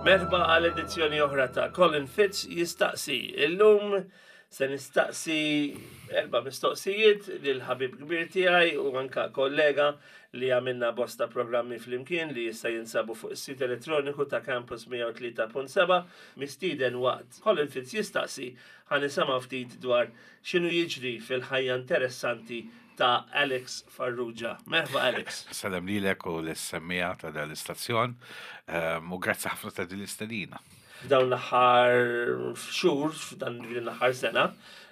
Merħba għal edizzjoni oħra ta' Colin Fitz jistaqsi. Illum se nistaqsi erba' mistoqsijiet lil ħabib kbir tiegħi u anka kollega li għamilna bosta programmi flimkien li issa jinsabu fuq is-sit elettroniku ta' Campus 103.7 mistieden waqt Colin Fitz jistaqsi ħa nisimgħu ftit dwar x'inhu jiġri fil-ħajja interessanti ta' Alex Farrugia. Merħba Alex. Salem lilek u lis-semmiegħa ta' dan l-istazzjon ehm, u grazzi ħafna ta' din l-istedina. F'dawn l-aħħar xhur, f'dan l-aħħar sena,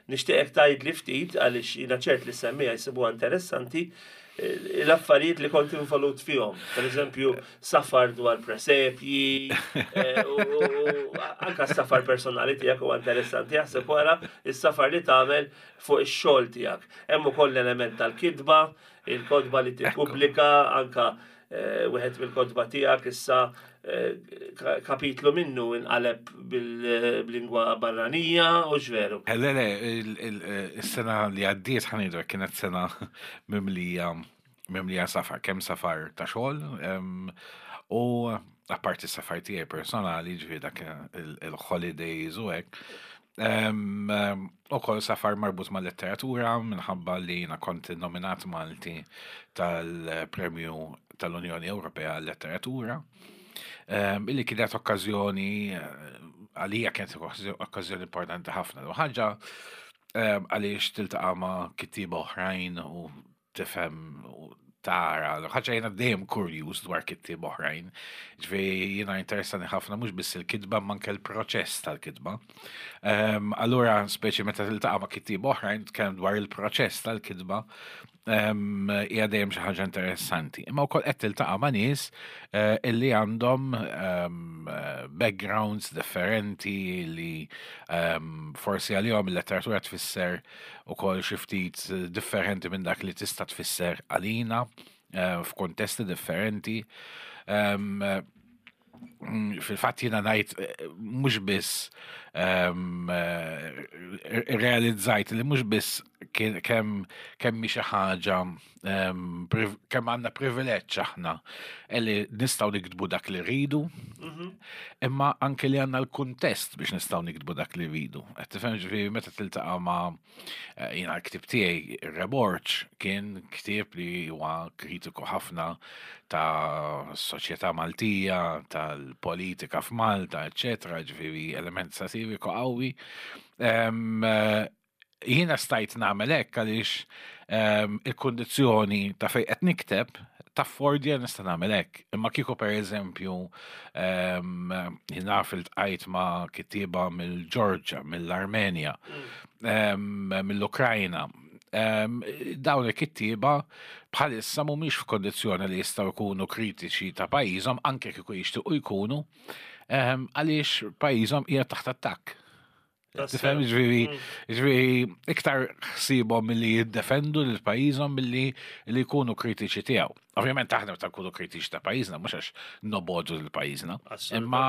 nixtieqek tgħidli ftit għaliex jiena ċert li semmiegħa jsibuha interessanti eh, l-affarijiet li kont involut fihom. Per eżempju, safar dwar presepji, eh, u anka safar personali tiegħek huwa interessanti jaħseb wara is-safar li tagħmel fuq ix-xogħol tiegħek. Hemm ukoll l-element tal-kitba, il-kotba li tippubblika, anka eh, wieħed mill-kotba tiegħek issa eh, kapitlu minnu inqaleb bil-lingwa barranija u x'veru. Eh, le, le, is-sena li għaddiet ħanidu kienet sena mimlija mimlija safar, kemm safar ta' xogħol u apparti safar tiegħi personali, ġifieri dak il-holidays u hekk, U kol safar marbut ma' letteratura minħabba li jina kont nominat Malti tal-Premju tal-Unjoni Ewropea għal-Letteratura. Illi kienet okkażjoni għalija kienet okkażjoni importanti ħafna. U ħaġa għaliex tiltaqa' ma' kittieba oħrajn u tifhem u tara, ħaġa jiena dejjem kurjuż dwar kittieb oħrajn. Ġifieri jiena interessani ħafna mhux biss il-kitba ma anke l-proċess tal-kitba. Ehm, allura speċi meta tiltaqa' ma' kittieb oħrajn tkellem dwar il-proċess tal-kitba, ehm, hija dejjem xi ħaġa interessanti. Imma wkoll qed tiltaqa' ma' nies eh, illi għandhom ehm, backgrounds differenti li forsi għalihom il-letteratura tfisser ukoll xi ftit differenti minn dak li tista' tfisser għalina eh, f'kontesti differenti. Ehm, mm, fil-fatt jiena ngħid eh, mhux biss ehm, eh, realizzajt li mhux biss kemm kemm xi ħaġa kemm għandna privileġġ aħna li nistgħu niktbu dak li rridu, mhm. imma anke li għandna l-kuntest biex nistgħu niktbu dak li rridu. Qed tifhem ġifieri meta tiltaqa' ma' eh, jiena l-ktieb tiegħi Reborċ kien ktieb li huwa kritiku ħafna ta' soċjetà Maltija, tal-politika f'Malta, eċetera, ġifieri element satiriku qawwi. Eh, Jiena stajt nagħmel hekk għaliex ehm, il-kundizzjoni ta' fejn qed nikteb taffordja nista' nagħmel hekk. Imma kieku pereżempju ehm, jien naf iltqajt ma' kittieba mill-Ġorġa, mill-Armenja, mm. ehm, mill-Ukrajna. Dawn il-kittieba bħalissa mhumiex f'kondizzjoni li jistgħu jkunu kritiċi ta' pajjiżhom anke kieku jixtiequ jkunu għaliex pajjiżhom qiegħed taħt attakk. Tifhem ġifieri, mm. ġifieri iktar ħsiebhom milli jiddefendu lil pajjiżhom milli li jkunu kritiċi tiegħu. Ovvjament aħna meta nkunu kritiċi ta' pajjiżna mhux għax nobodu lil pajjiżna. Imma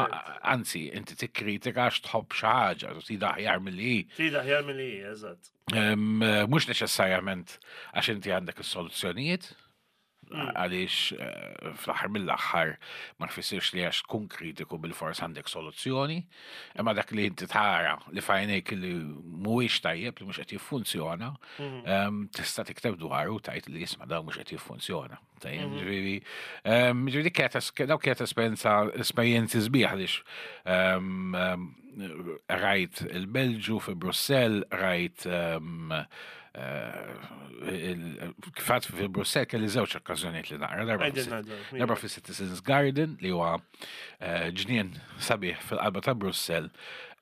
anzi, inti tikkritika għax tħobb xi ħaġa, trid aħjar milli hi. Trid aħjar milli hi, eżatt. Mhux neċessarjament għax inti għandek is-soluzzjonijiet, Mm. Għaliex eh, fl-aħħar mill-aħħar ma tfissirx li għax tkun kritiku bil-fors għandek soluzzjoni, imma dak li inti tara li fajnejk li mhuwiex tajjeb li mhux qed jiffunzjona, mm. ehm, tista' tikteb dwaru tajt li jisma' dawn mhux qed jiffunzjona. Tajjeb, mm. ġifieri, ehm, ġifieri dawk kienet esperjenza esperjenzi sbieħ għaliex ehm, rajt il-Belġu fi Brussell, rajt eh, kifat fi Brussell kelli żewġ okkażjonijiet li naqra darba fi Citizens Garden li huwa eh, ġnien sabiħ fil-qalba ta' Brussell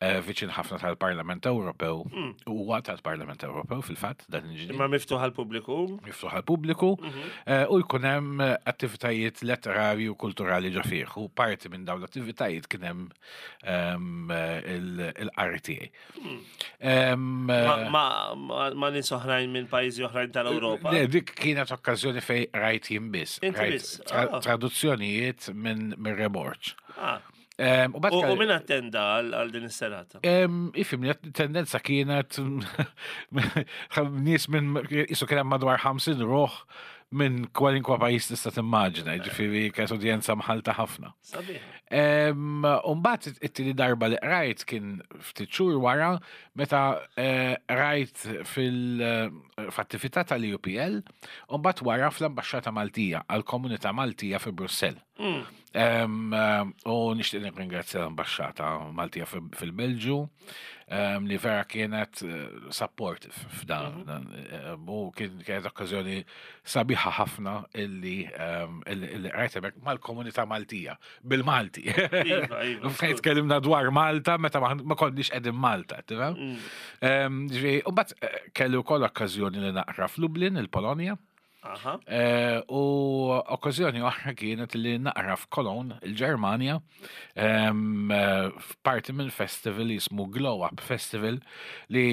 eh, viċin ħafna tal-Parlament Ewropew hmm. huwa tal-Parlament Ewropew fil-fatt dan il-ġnien. Imma miftuħ għall-pubbliku. Miftuħ għall-pubbliku mhm. u jkun hemm attivitajiet letterarji u kulturali ġo fih u parti minn dawn l-attivitajiet kien hemm ehm, il-qari tiegħi. Hmm. Ma nies oħrajn minn pajjiżi oħrajn tal-Ewropa. Le, dik kienet okkażjoni fej rajt jien biss. Ah. Traduzzjonijiet minn remorċ. Ah. U minn attenda għal din is-serata? Ifimni, tendenza kienet nies minn isu kien hemm madwar 50 ruħ. minn kwalinkwa pajjiż tista' timmaġina, ġifieri kienet udjenza mħalta ħafna. Sabiħ. Umbagħad it-tieni darba li qrajt kien ftit xhur wara meta eh, qrajt fil-attività eh, tal-UPL u mbagħad wara fl-Ambaxxata Maltija għall-Komunità Maltija fi Brussell. U nixtieq nirringrazzja l-Ambaxxata Maltija fil-Belġju li vera kienet eh, supportive f'dan. Mhm. U kienet okkażjoni sabiħa ħafna illi illi qrajt hemmhekk mal-komunità Maltija, bil-Malti. Iva, iva. Fejn tkellimna dwar Malta meta ma konniex qegħdin Malta, tifhem? Mm. Ġifieri, u mbagħad eh, kelli wkoll okkażjoni li naqra f'Lublin, il-Polonja. Eh, u okkażjoni oħra kienet li naqra f'Cologne, il-Ġermanja, eh, f'parti minn festival jismu Glow Up Festival li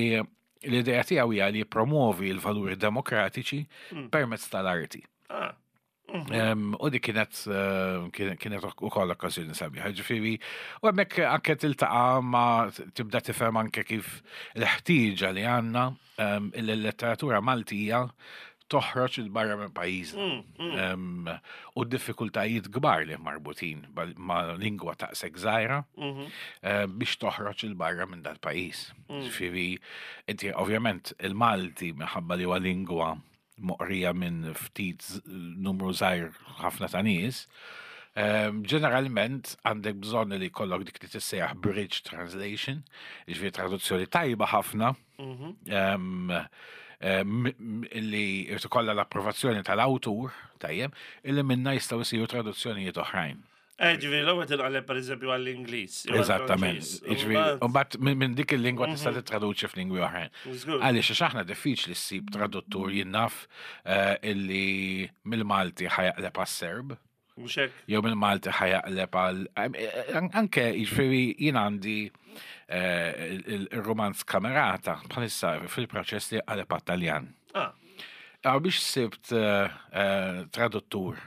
l-idea tiegħu hija li jippromovi l-valuri demokratiċi mm. permezz tal-arti. Ah. Mhm. U dik kienet eh, kienet ukoll okkażjoni sabiħa. Ġifieri, u hemmhekk anke tiltaqa' ma tibda tifhem anke kif l-ħtieġa li għandna il-letteratura Maltija toħroġ il barra minn pajjiżna. Mm, mm. U d-diffikultajiet kbar li marbutin ma' lingwa taqsek żgħira mhm. eh, biex toħroġ il barra minn dal-pajjiż. Mm. Ġifieri, inti ovvjament il-Malti minħabba li huwa lingwa moqrija minn ftit numru żgħir ħafna ta' nies, ġeneralment għandek bżonn li jkollok dik li tissejjaħ bridge translation, jiġifieri traduzzjoni tajba ħafna, mhm. li jrid ikollha l-approvazzjoni tal-awtur, tajjeb, illi minna jistgħu jsiru traduzzjonijiet oħrajn. Eh, ġifieri l-ewwel tinqaleb pereżempju għall-Ingliż. Eżattament. Ġifieri, u mbagħad minn dik il-lingwa tista' mhm. tittraduċi f'lingwi oħrajn. Għaliex għax aħna diffiċli ssib traduttur jinnaf eh, illi mill-Malti ħajaqleb għas-Serb. Mhux hekk. Jew mill-Malti ħajaqleb għal eh, anke jiġifieri jien għandi il-romanz kamerata bħalissa fil-proċess li qaleb għat-Taljan. Ah. Biex sibt traduttur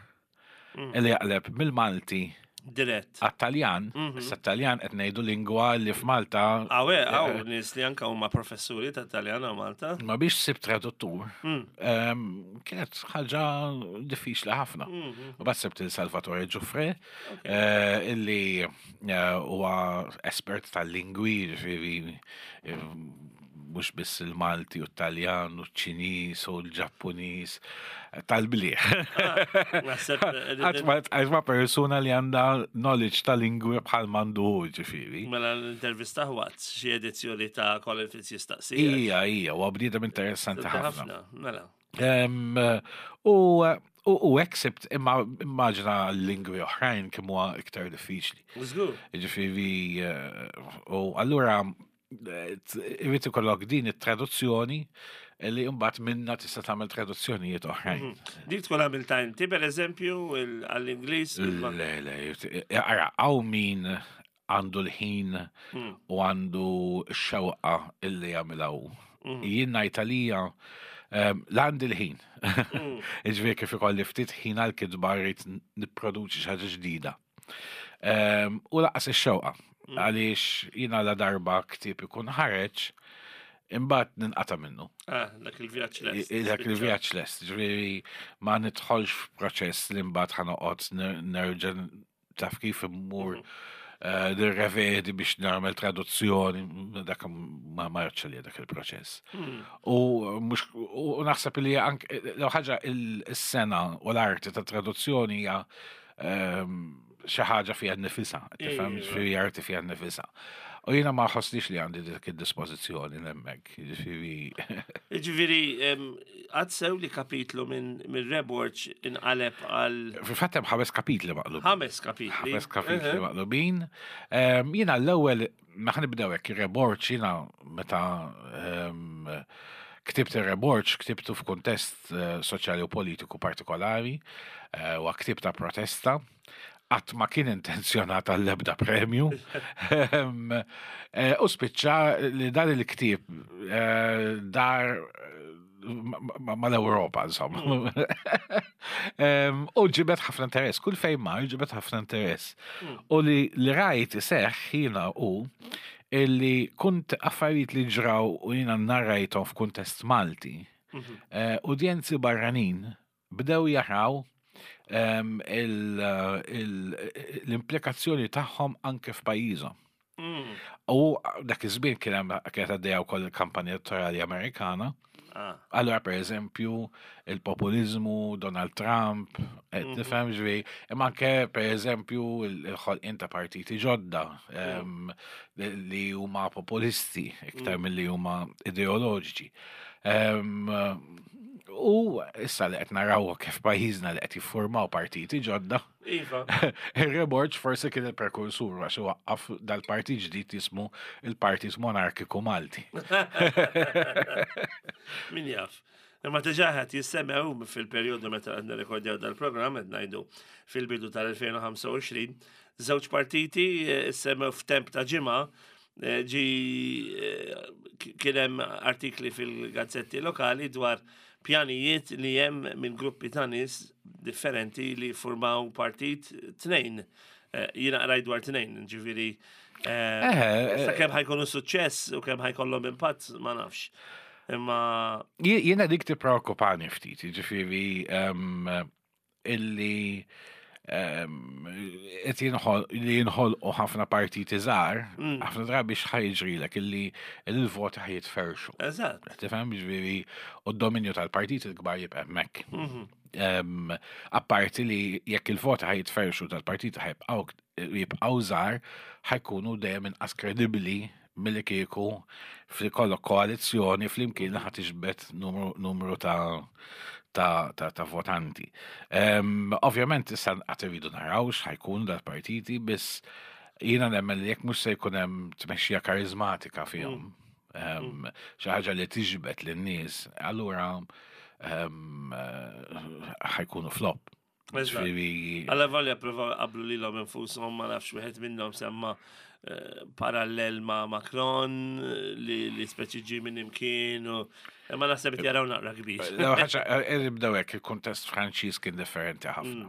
mm. li jaqleb mill-Malti Dirett. Għat-Taljan, mhm. issa Taljan qed ngħidu lingwa li f'Malta. Awe, għaw, eh, nies li anka huma professuri ta' Taljan għaw Malta. Ma biex sib traduttur, mm. ehm, kienet ħaġa diffiċli ħafna. Mhm. U bat sibt il-Salvatore Giuffre, eh, illi eh, huwa espert tal-lingwi, ġifieri mhux biss il-Malti u t-Taljan u ċ-Ċiniż u l-Ġappuniż tal-bliħ. Għax ma persuna li għandha knowledge ta' lingwi bħal mandu ġifieri. Mela l-intervista ħwat xi edizzjoni ta' Colin Fitz jistaqsi. Ija, ija, u bniedem interessanti ħafna. Mela. U U accept imma immaġina lingwi oħrajn kemm huwa iktar diffiċli. Żgur. Ġifieri, eh, u allura Irrid ikollok din it-traduzzjoni li mbagħad minna tista' tagħmel traduzzjonijiet oħrajn. Mhm. Dik tkun għamilta inti pereżempju għall-Ingliż? Le, le, ara, hawn min għandu l-ħin mm. u għandu x-xewqa illi jagħmilha hu. Mm. Jien ngħid għalija ehm, l-għandi l-ħin. Mm. Iġifieri kif ikolli ftit ħin għal-kitba rrid nipproduċi xi ħaġa ġdida. Ehm, u laqas ix-xewqa. Mm. Għaliex jiena la darba ktieb ikun ħareġ, imbagħad ninqata' minnu. Ah, dak il-vjaġġ lest. Dak il-vjaġġ lest, ġifieri ma nidħolx f'proċess li mbagħad ħanoqgħod nerġa' taf kif immur mhm. eh, nirrevedi biex nagħmel traduzzjoni, dak ma marċ li dak il-proċess. Mm. U mhux u naħseb li anke ħaġa il-sena u l-arti ta' traduzzjoni hija Ehm, xi ħaġa fiha nnifisha, tifhem ġifieri arti fiha nnifisha. U jiena ma ħossniex li għandi dik id-dispożizzjoni hemmhekk, jiġifieri. Jiġifieri għad sew li kapitlu minn Reborġ inqaleb għal. Fil-fatt hemm ħames kapitli maqlubin. Ħames kapitli. Ħames kapitli maqlubin. Ehm, jiena l-ewwel Ma nibdew hekk ir-reborġ jiena meta ehm, ktibt ir-reborġ ktibtu f'kuntest eh, soċjali u politiku partikolari eh, u ktieb ta' protesta qatt ma kien intenzjonat għall-ebda premju. Ehm, eh, u spiċċa li dan il-ktieb dar mal-Ewropa, insomma. Mm. U ġibet ħafna interess, kull fejn mar ġibet ħafna interess. Mm. U li li rajt iseħħ jiena u illi kunt affarijiet li ġraw u jiena narrajthom f'kuntest Malti, mhm. eh, udjenzi barranin bdew jaraw l-implikazzjoni tagħhom anke f'pajjiżhom. U dak iż-żmien kien hemm kienet għaddejja wkoll il-kampanja elettorali Amerikana. Allura per eżempju il-populizmu, Donald Trump, qed tifhem ġifieri, imma anke per eżempju il-ħolqien ta' partiti ġodda li huma populisti iktar milli huma ideoloġiċi. U issa li qed naraw kif pajjiżna li qed jiffurmaw partiti ġodda. Iva. Henry Borg forsi kien il-prekursur għax waqqaf dal-partit ġdid jismu il-Partit Monarkiku Malti. Min jaf. Imma diġà qed jissemmew fil-perjodu meta qed nirrekordjaw dal-programm qed ngħidu fil-bidu tal-2025, żewġ partiti eh, semmew f'temp ta' ġimgħa eh, ġi eh, kien hemm artikli fil-gazzetti lokali dwar pjanijiet li hemm minn gruppi ta' nies differenti li formaw partit tnejn. Eh, jiena qrajt dwar tnejn, ġifieri sa kemm ħajkunu suċċess u kemm ħajkollhom impatt ma nafx. Imma Jiena dik tippreokkupani ftit, ġifieri illi qed li jinħolqu ħafna partiti żgħar, ħafna drabi x'ħa jiġrilek illi il-voti ħa jitferxu. Eżatt. Tifhem ġifieri u d-dominju tal-partiti l-kbar jibqa' hemmhekk. Apparti li jekk il-voti ħa jitferxu tal-partiti ħa jibqgħu żgħar ħa jkunu dejjem inqas kredibbli milli kieku f'kollok koalizzjoni flimkien li ħa tiġbed numru ta' ta', ta, ta votanti. Ovvjament issa qatt irridu naraw x'ħa jkunu dal-partiti, biss jiena nemmen li jekk mhux se jkun hemm tmexxija karizmatika fihom, xi ħaġa li tiġbed lin-nies, allura ħa jkunu flop. Ġifieri. Alla volja provaw qablu lilhom infushom ma nafx wieħed minnhom semma eh, parallel ma' Macron li, li speċi ġi minn imkien u imma naħseb qed jaraw naqra kbir. L-ewwel ħaġa, eh, nibdew hekk il-kuntest Franċiż kien differenti ħafna.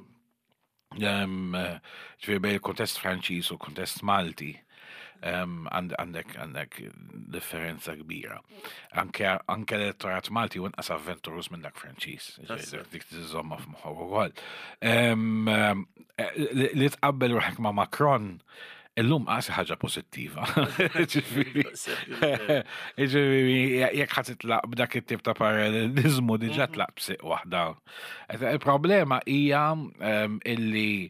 Ġifieri bejn il-kuntest Franċiż u l-kuntest Malti għandek għandek differenza kbira. Anke anke l-elettorat Malti u inqas avventurus minn dak Franċiż. Dik tiżomma f'moħħok ukoll. Li tqabbel ruħek ma' Macron illum qas ħaġa pożittiva. Ġifieri jekk ħa titlaq b'dak it-tip ta' parallelizmu diġà tlaq b'siq waħda. Il-problema hija illi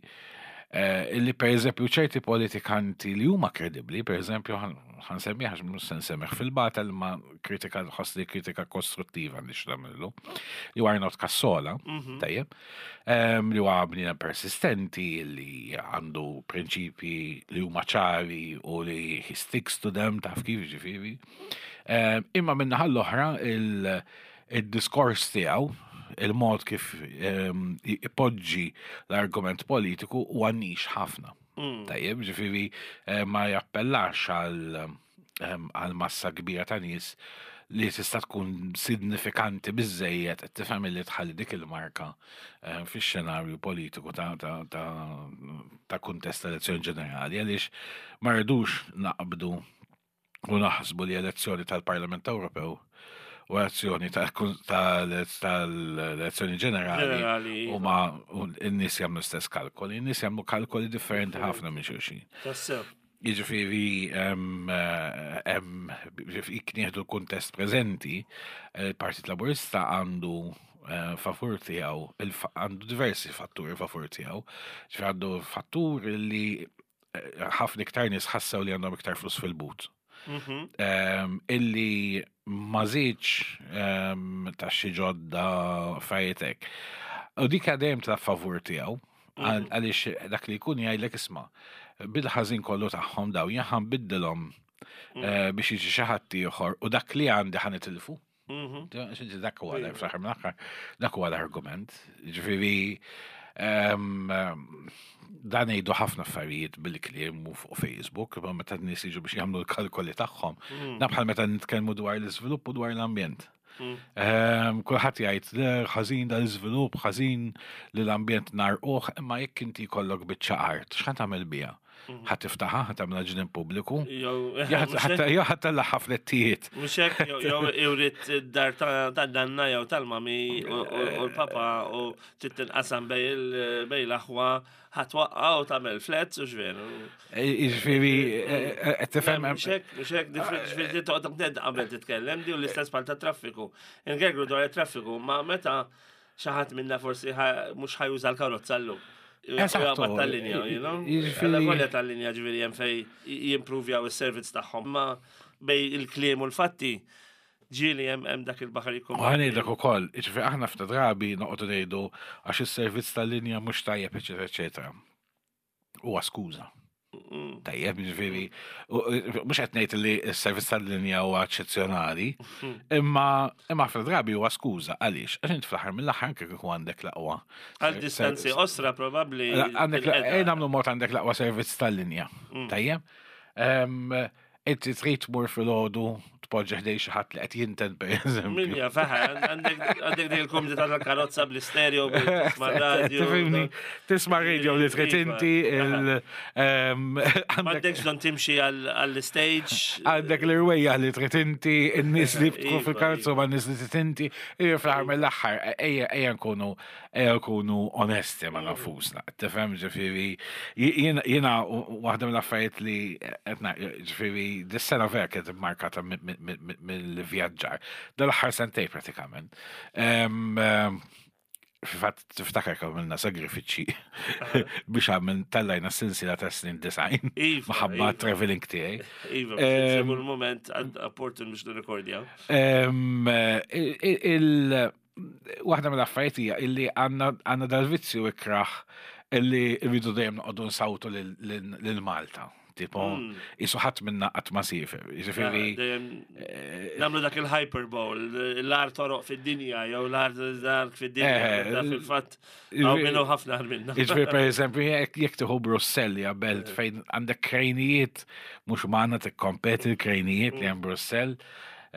illi per eżempju ċerti politikanti li huma kredibbli, per eżempju ħa nsemmih għax mhux se nsemmih fil-batel ma kritika nħoss li kritika kostruttiva nix nagħmlu, li huwa Arnold Cassola, tajjeb, li huwa bniedem persistenti, li għandu prinċipji li huma ċari u li he sticks to them taf kif ġifieri. Imma min-naħa l-oħra il-diskors tiegħu, il-mod kif ipoġġi l-argument politiku huwa niche ħafna. Tajjeb, ġifieri ma jappellax għal massa kbira ta' nies li tista' tkun signifikanti biżejjed qed tifhem li tħalli dik il-marka fix-xenarju politiku ta' ta' ta' ta' kuntest ta' elezzjoni ġenerali għaliex ma rridux naqbdu u naħsbu li elezzjoni tal-Parlament Ewropew u elezzjoni tal-elezzjoni ġenerali u ma n-nies jagħmlu stess kalkoli, n-nies jagħmlu kalkoli differenti ħafna minn xulxin. Jiġifieri jekk nieħdu l-kuntest preżenti, il-Partit Laburista għandu favur tiegħu, għandu diversi fatturi favur tiegħu. Ġifieri għandu fattur li ħafna iktar nies ħassew li għandhom iktar flus fil-but. Illi ma żiedx ta' xi ġodda fajtek. U dik dejjem ta' favur tiegħu, għaliex dak li jkun jgħidlek isma' bil-ħażin kollu tagħhom daw jien ħa nbiddilhom biex jiġi xi ħadd ieħor u dak li għandi ħa nitilfu. Dak huwa fl-aħħar mill-aħħar, dak huwa l-argument. Ġifieri dan jgħidu ħafna affarijiet bil-kliem u fuq Facebook, imma meta n-nies jiġu biex jagħmlu l-kalkoli tagħhom, nabħal meta nitkellmu dwar l-iżvilupp u dwar l-ambjent. Kulħadd jgħid le ħażin dal-iżvilupp, ħażin li l-ambjent narquh, imma jekk inti jkollok biċċa art, x'ħa tagħmel biha? Ħa tiftaħha, ħa tagħmilha ġnien pubbliku. Jew ħa tellagħha flettijiet. Mhux hekk, jew iwrid id-dar tan-nanna jew tal-mami u l-papa u trid tinqasam bejn l-aħwa ħa twaqqa' u tagħmel flats u x'veru. Jiġifieri qed tifhem. Mhux hekk, mhux hekk, ġifieri toqgħod qabel titkellem di u l-istess bħal tat-traffiku. Ingergru dwar it-traffiku, ma meta xi ħadd minna forsi mhux ħa juża l-karozza llum. Eżattu. Tal-linja, you know? Jiġifieri. Tal-linja ġifieri hemm fej jimpruvjaw is-servizz tagħhom, ma bej il-kliem u l-fatti ġieli hemm dak il-baħar jkun. U ħanejlek ukoll, jiġifieri aħna ftit drabi noqogħdu ngħidu għax is-servizz tal-linja mhux tajjeb, eċetera, eċetera. Huwa skuża. Tajjeb, ġifieri, mhux qed ngħid li s-servizz tal-linja huwa eċċezzjonali, imma imma ħafna drabi huwa skuża għaliex għax int fl-aħħar mill-aħħar anke kieku għandek l-aqwa. Għal distanzi osra probabbli. Għandek nagħmlu mod għandek l-aqwa servizz tal-linja. Tajjeb. Inti trid tmur filgħodu tpoġġi ħdej xi ħadd li qed jinten pereżempju. Min jaf, eħe, għandek dik il-kumdità tal-karozza bl-istereo, tisma' radio. Tifhimni, tisma' radio li trid Iva, inti, il M'għandekx bżonn timxi għall-stage. Għandek l-irwejjaħ li trid inti, in-nies li tkun Iva, fil-karozza iva. ma' nies li trid inti, fl-aħħar mill-aħħar, ejja nkunu Ejja nkunu onesti ma' nafusna. Tifhem ġifieri jiena waħda mill-affarijiet li qed ġifieri dis-sena vera kienet immarkata mill-vjaġġar. Dal-aħħar sentej pratikament. Fil-fatt tiftakar kemm għamilna sagrifiċċji biex għamil tellajna silsila ta' snin design Iva, maħabba iva. traveling tiegħi. Iva, biex nsibu l-moment opportun biex nirrekordjaw. Il waħda mill-affarijiet hija illi għandna dal-vizzju ikraħ illi rridu dejjem noqogħdu nsawtu lil Malta. Tipo, isu ħadd minna qatt ma siefer. Jiġifieri. Ah, nagħmlu dak il-hyperbole, l-art toroq fid-dinja jew l-art fid-dinja. Eh, Fil-fatt, hawn minnu ħafna minna. Jiġifieri pereżempju jekk tieħu Brussell hija belt fejn għandek krejnijiet mhux magħna tikkompeti l-krejnijiet li hemm Brussell.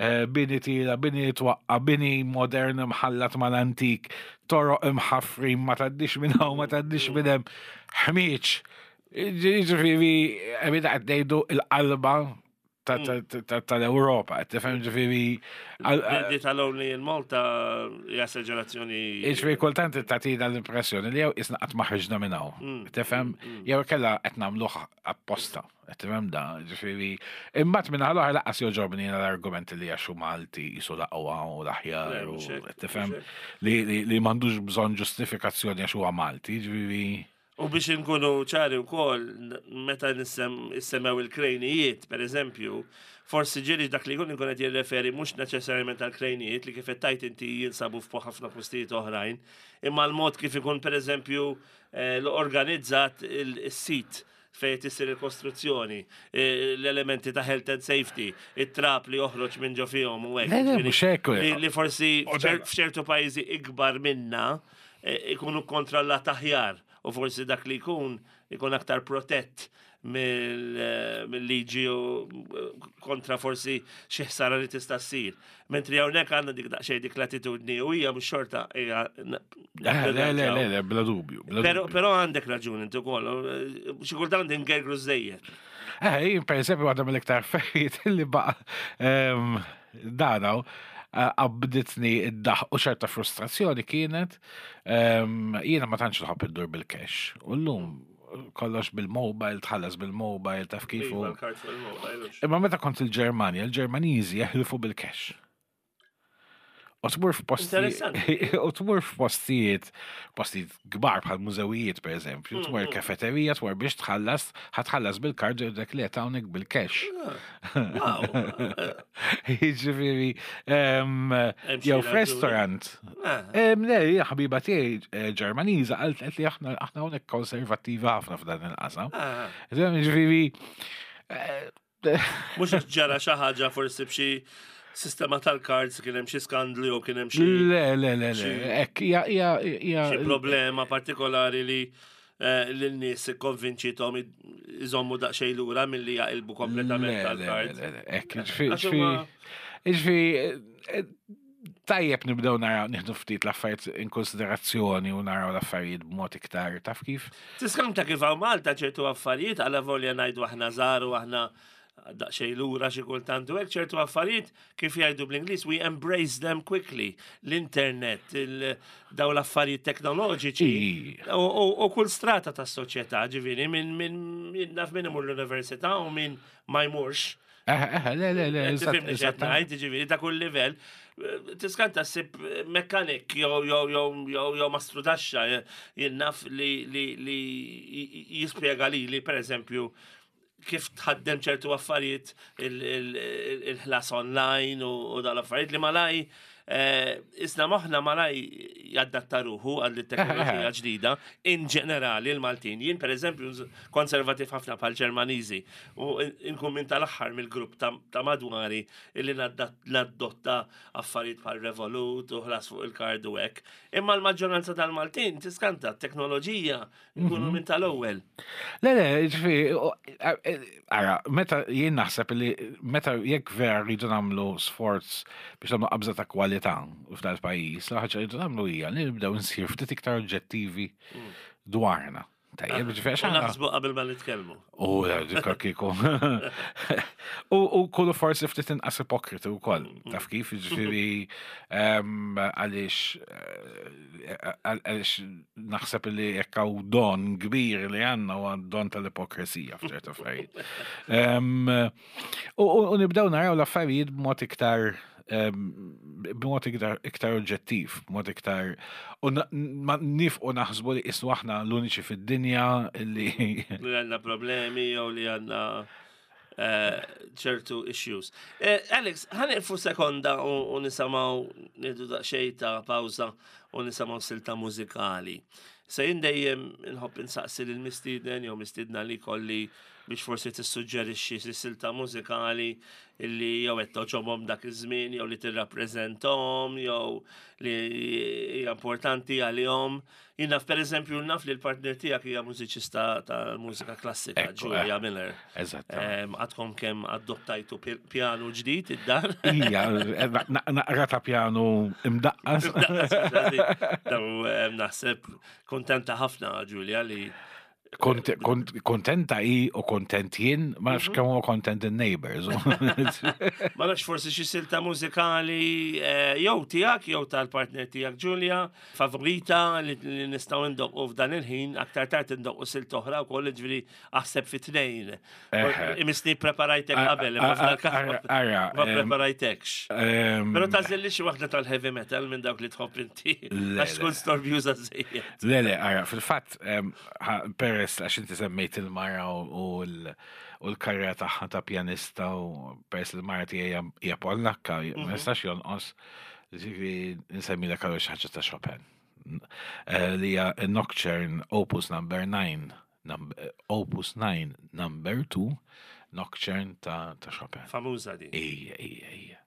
Eh, bini tila, bini twaqqa, bini modern imħallat mal-antik, toroq imħaffrin ma taddix minn hawn, ma taddix minn hemm, ħmieġ. Ġifieri, għamilna qed ngħidu il-qalba tal-Ewropa, tifhem ġifieri. Di tal-Only in Malta hija esaġerazzjoni. Ġifieri kultant tagħtina l-impressjoni li jew isna qatt ma ħriġna minn hawn. Tifhem jew kellha qed nagħmluh apposta. Qed tifhem da, ġifieri. Imbagħad minn l-oħra laqqas jogħġobni l-argument li għax hu Malti qisu l-aqwa u l-aħjar u qed tifhem li li m'għandux bżonn ġustifikazzjoni għax huwa Malti, ġifieri. U biex inkunu ċari wkoll, meta nissemmew il-krejnijiet, per eżempju, forsi ġieli dak li jkun ikun qed jirreferi mhux neċessarjament għal krejnijiet li kif qed tgħid inti jinsabu f'ħafna postijiet oħrajn, imma l-mod kif ikun per eżempju eh, l-organizzat il-sit fejn qed issir il-kostruzzjoni, eh, l-elementi ta' health and safety, it-trap li joħroġ minn ġo fihom u hekk. Le, le, mhux hekk. Li forsi f'ċertu pajjiżi ikbar minna eh, ikunu kontrollat aħjar u forsi dak li jkun ikun aktar protett eh, mill-liġi u kontra forsi xi ħsara li tista' ssir. Mentri hawnhekk għandna dik daqsxejn dik l-attitudni u hija mhux xorta hija. Le, le, le, le, bla dubju. Però għandek raġun inti wkoll, xi kultant ingergru żejjed. Eh, per eżempju, waħda mill-iktar affarijiet li baqa' ehm, danaw eh, qabditni id-daħ u ċerta frustrazzjoni kienet ehm, jiena ma tantx nħobb iddur bil-cash. U llum kollox bil-mobile, tħallas bil-mobile, taf kif. Iva, l-kard fuq il-mobile. Imma meta kont il-Ġermanja, il-Ġermaniżi jeħilfu bil-cash. U tmur f'postijiet. U tmur f'postijiet, postijiet kbar bħal mużewijiet per eżempju, tmur kafeterija, tmur biex tħallas, ħatħallas bil-kard u dak li hawnhekk bil-cash. Ah. Jiġifieri, jew f'restaurant. Ah. Le, ħabiba tiegħi eh, Ġermaniża qalt li aħna aħna hawnhekk konservattiva ħafna f'dan il-qasam. Ah. Ġifieri eh, Mhux ġara xi ħaġa forsi b'xi sistema tal-cards kien hemm xi skandlu jew kien hemm xi. Le, le, le, le. Hekk hija hija hija xi problema partikolari li eh, lin-nies ikkonvinċithom iżommu daqsxejn lura milli jaqilbu kompletament tal-cards. Hekk, ġifieri, ġifieri, eh, Tajjeb nibdew naraw nieħdu ftit l-affarijiet in konsiderazzjoni u naraw l-affarijiet b'mod iktar taf kif. Tiskanta kif hawn Malta ċertu affarijiet għala volja ngħidu aħna żgħar u aħna daqsxejn lura xi kultant u hekk ċertu affarijiet kif jgħidu bl-Ingliż we embrace them quickly. L-internet, daw l-affarijiet teknoloġiċi u kull strata tas-soċjetà, ġifieri minn min naf min imur l-università u min ma jmurx. Le, le, le, eżatt. Ġifieri ta' kull livell. Tiskanta ssib mekkanik jew jew jew jew jew mastru taxxa jien naf li li li jispjega lili pereżempju kif tħaddem ċertu affarijiet il-ħlas online u dal-affarijiet li malaj eh, isna moħna malaj jaddatta ruħu għal teknoloġija ġdida in ġenerali l-Maltin. Jien per eżempju konservativ ħafna bħal Ġermaniżi u nkun minn tal-aħħar mill-grupp ta' madwari illi naddotta affarijiet bħal Revolut u ħlas fuq il-kard u hekk. Imma l-maġġoranza tal-Maltin tiskanta t-teknoloġija nkunu mhm. minn tal-ewwel. Le, le, ġifieri, e, ara, meta jien naħseb li meta jekk vera rridu nagħmlu sforz biex nagħmlu qabża ta' kwalità f'dal-pajjiż, l-ħaġa rridu nagħmlu hija li nibdew nsir ftit iktar oġġettivi mm. dwarna. Tajjeb, ġifieri għax aħna. Naħsbu qabel ma nitkellmu. U dikka kieku. U kullu forsi ftit inqas ipokriti wkoll. Mm. Taf kif, ġifieri għaliex eh, għaliex naħseb li jekk hawn don kbir li għandna huwa don tal-ipokresija f'ċertu affarijiet. U nibdew naraw l-affarijiet b'mod iktar b'mod iktar, iktar oġġettiv, b'mod iktar u ma nifqu naħsbu li isnu aħna l-uniċi fid-dinja li li għandna problemi jew li għandna eh, ċertu issues. Eh, Alex, ħaniqfu sekonda u nisamaw nidu daqsxejn ta' pawża u nisamaw silta mużikali. Se jien dejjem inħobb insaqsi lil mistieden jew mistiedna li kolli biex forsi tissuġġerixxi xi silta mużikali li jew qed toġobhom dak iż-żmien jew li tirrappreżentahom jew li hija importanti għalihom. Jien naf pereżempju naf li l-partner tiegħek hija mużiċista tal-mużika klassika, Julia eh, Miller. Eżatt. Għadkom kemm adottajtu pjanu ġdid id-dar. Ija, eh, naqra ta' pjanu imdaqqas. Naħseb kontenta ħafna Julia li Kontenta i u kontent jien, ma nafx mhm. kemm huwa kontent in-neighbors. Ma nafx forsi xi silta mużikali eh, jew tiegħek jew tal-partner tiegħek Ġulja, favorita li nistgħu ndoqqu f'dan il-ħin, aktar tard indoqqu silta oħra wkoll ġifieri aħseb fi tnejn. Imisni preparajtek qabel, imma ma preparajtekx. Però tażilli xi waħda tal-heavy metal minn dawk li tħobb inti. Għax tkun storbjuża żejjed. Le, le, ara, fil-fatt, peress għax inti semmejt il-mara u l-karriera tagħha ta' pjanista u peress il-mara tiegħi hija Pollakka, ma mhm. nistax jonqos ġifieri nsemmilek għal xi ħaġa ta' Chopin. Eh, li hija Nocturne Opus Number 9, Opus 9 Number 2, Nocturne ta' Chopin. Famuża di. Ija, ija, ija.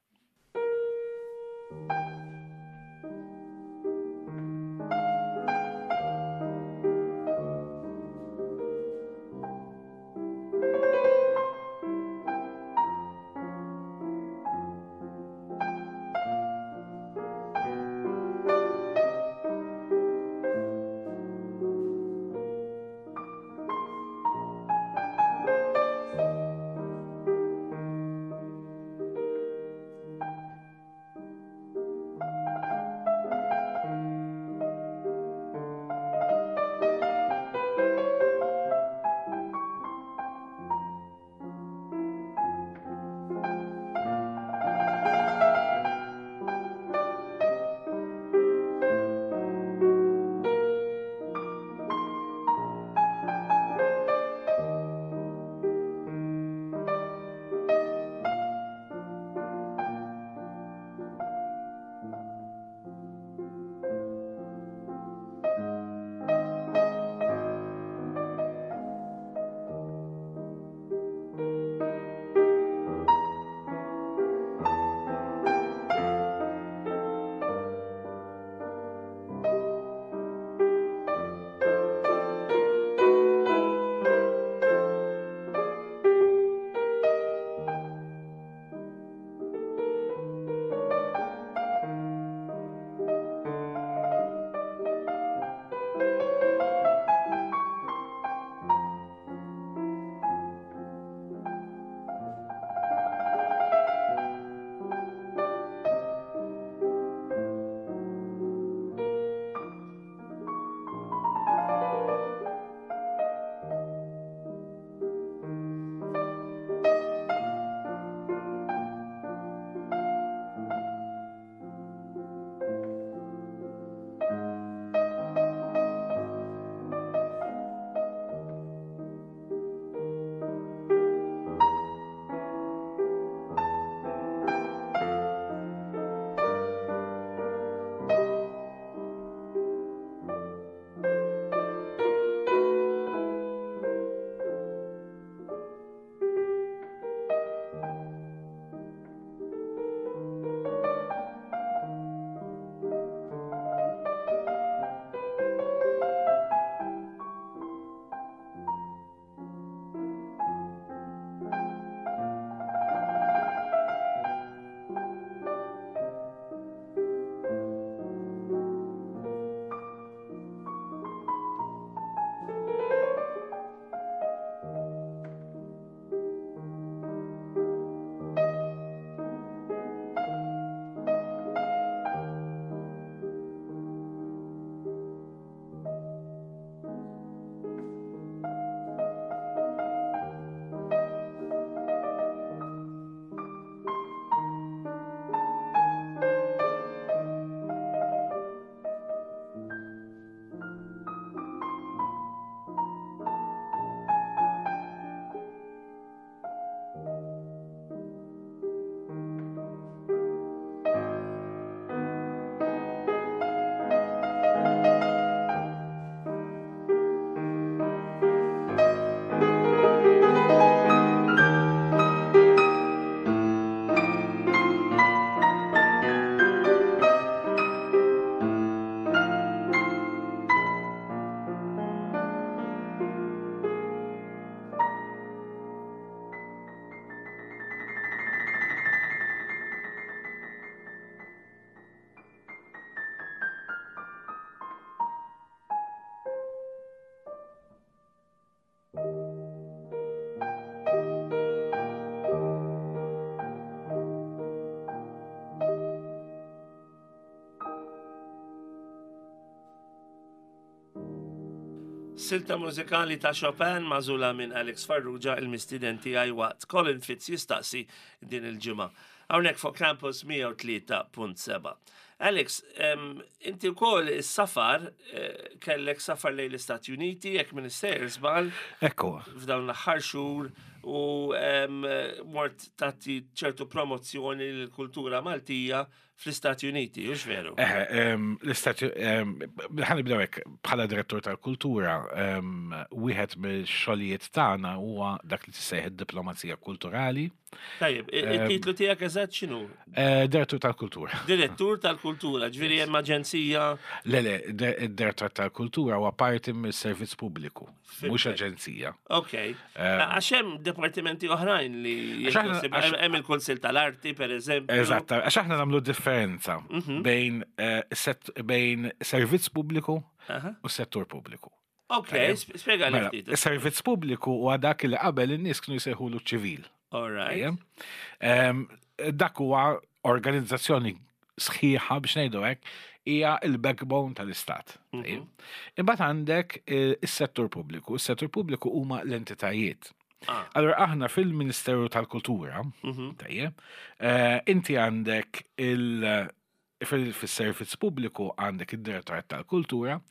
Silta mużikali ta' Chopin magħżula minn Alex Farrugia il-mistieden tiegħi waqt Colin Fitz jistaqsi din il-ġimgħa. Hawnhekk fuq Campus 103.7. Alex, inti wkoll is-safar eh, kellek safar lejn l-Istati Uniti jekk minn sejjer żball. Ekku. F'dawn l-aħħar xhur u mort tagħti ċertu promozzjoni lill-kultura Maltija fl-Istati Uniti, hux veru? Eh, l-Istati, ħa nibdew hekk, bħala direttur tal-kultura, wieħed mill-xogħlijiet tagħna huwa dak li tissejjaħ id-diplomazija kulturali. Tajjeb, il-titlu tiegħek eżatt x'inhu? Eh, direttur tal-kultura. Direttur tal-kultura, ġifieri hemm aġenzija. Le, le, id-direttur tal-kultura huwa parti mis-servizz pubbliku. Mhux aġenzija. Ok. Eh, għax hemm departimenti oħrajn li hemm il-Kunsill tal-Arti, per eżempju. Eżatt, għax aħna nagħmlu differenza mhm. bejn eh, bejn servizz pubbliku u settur pubbliku. Ok, spjega li mela, ftit. Servizz pubbliku huwa dak li qabel in-nies kienu jsejħulu ċivil. All right. Dak huwa organizzazzjoni sħiħa biex ngħidu hekk hija il-backbone tal-istat. Mhm. Imbagħad għandek eh, is-settur pubbliku. Is-settur pubbliku huma l-entitajiet. Ah. Allora aħna fil-Ministeru tal-Kultura, mhm. tajjeb, eh, inti għandek il- fis-servizz pubbliku għandek id-Direttorat tal-Kultura,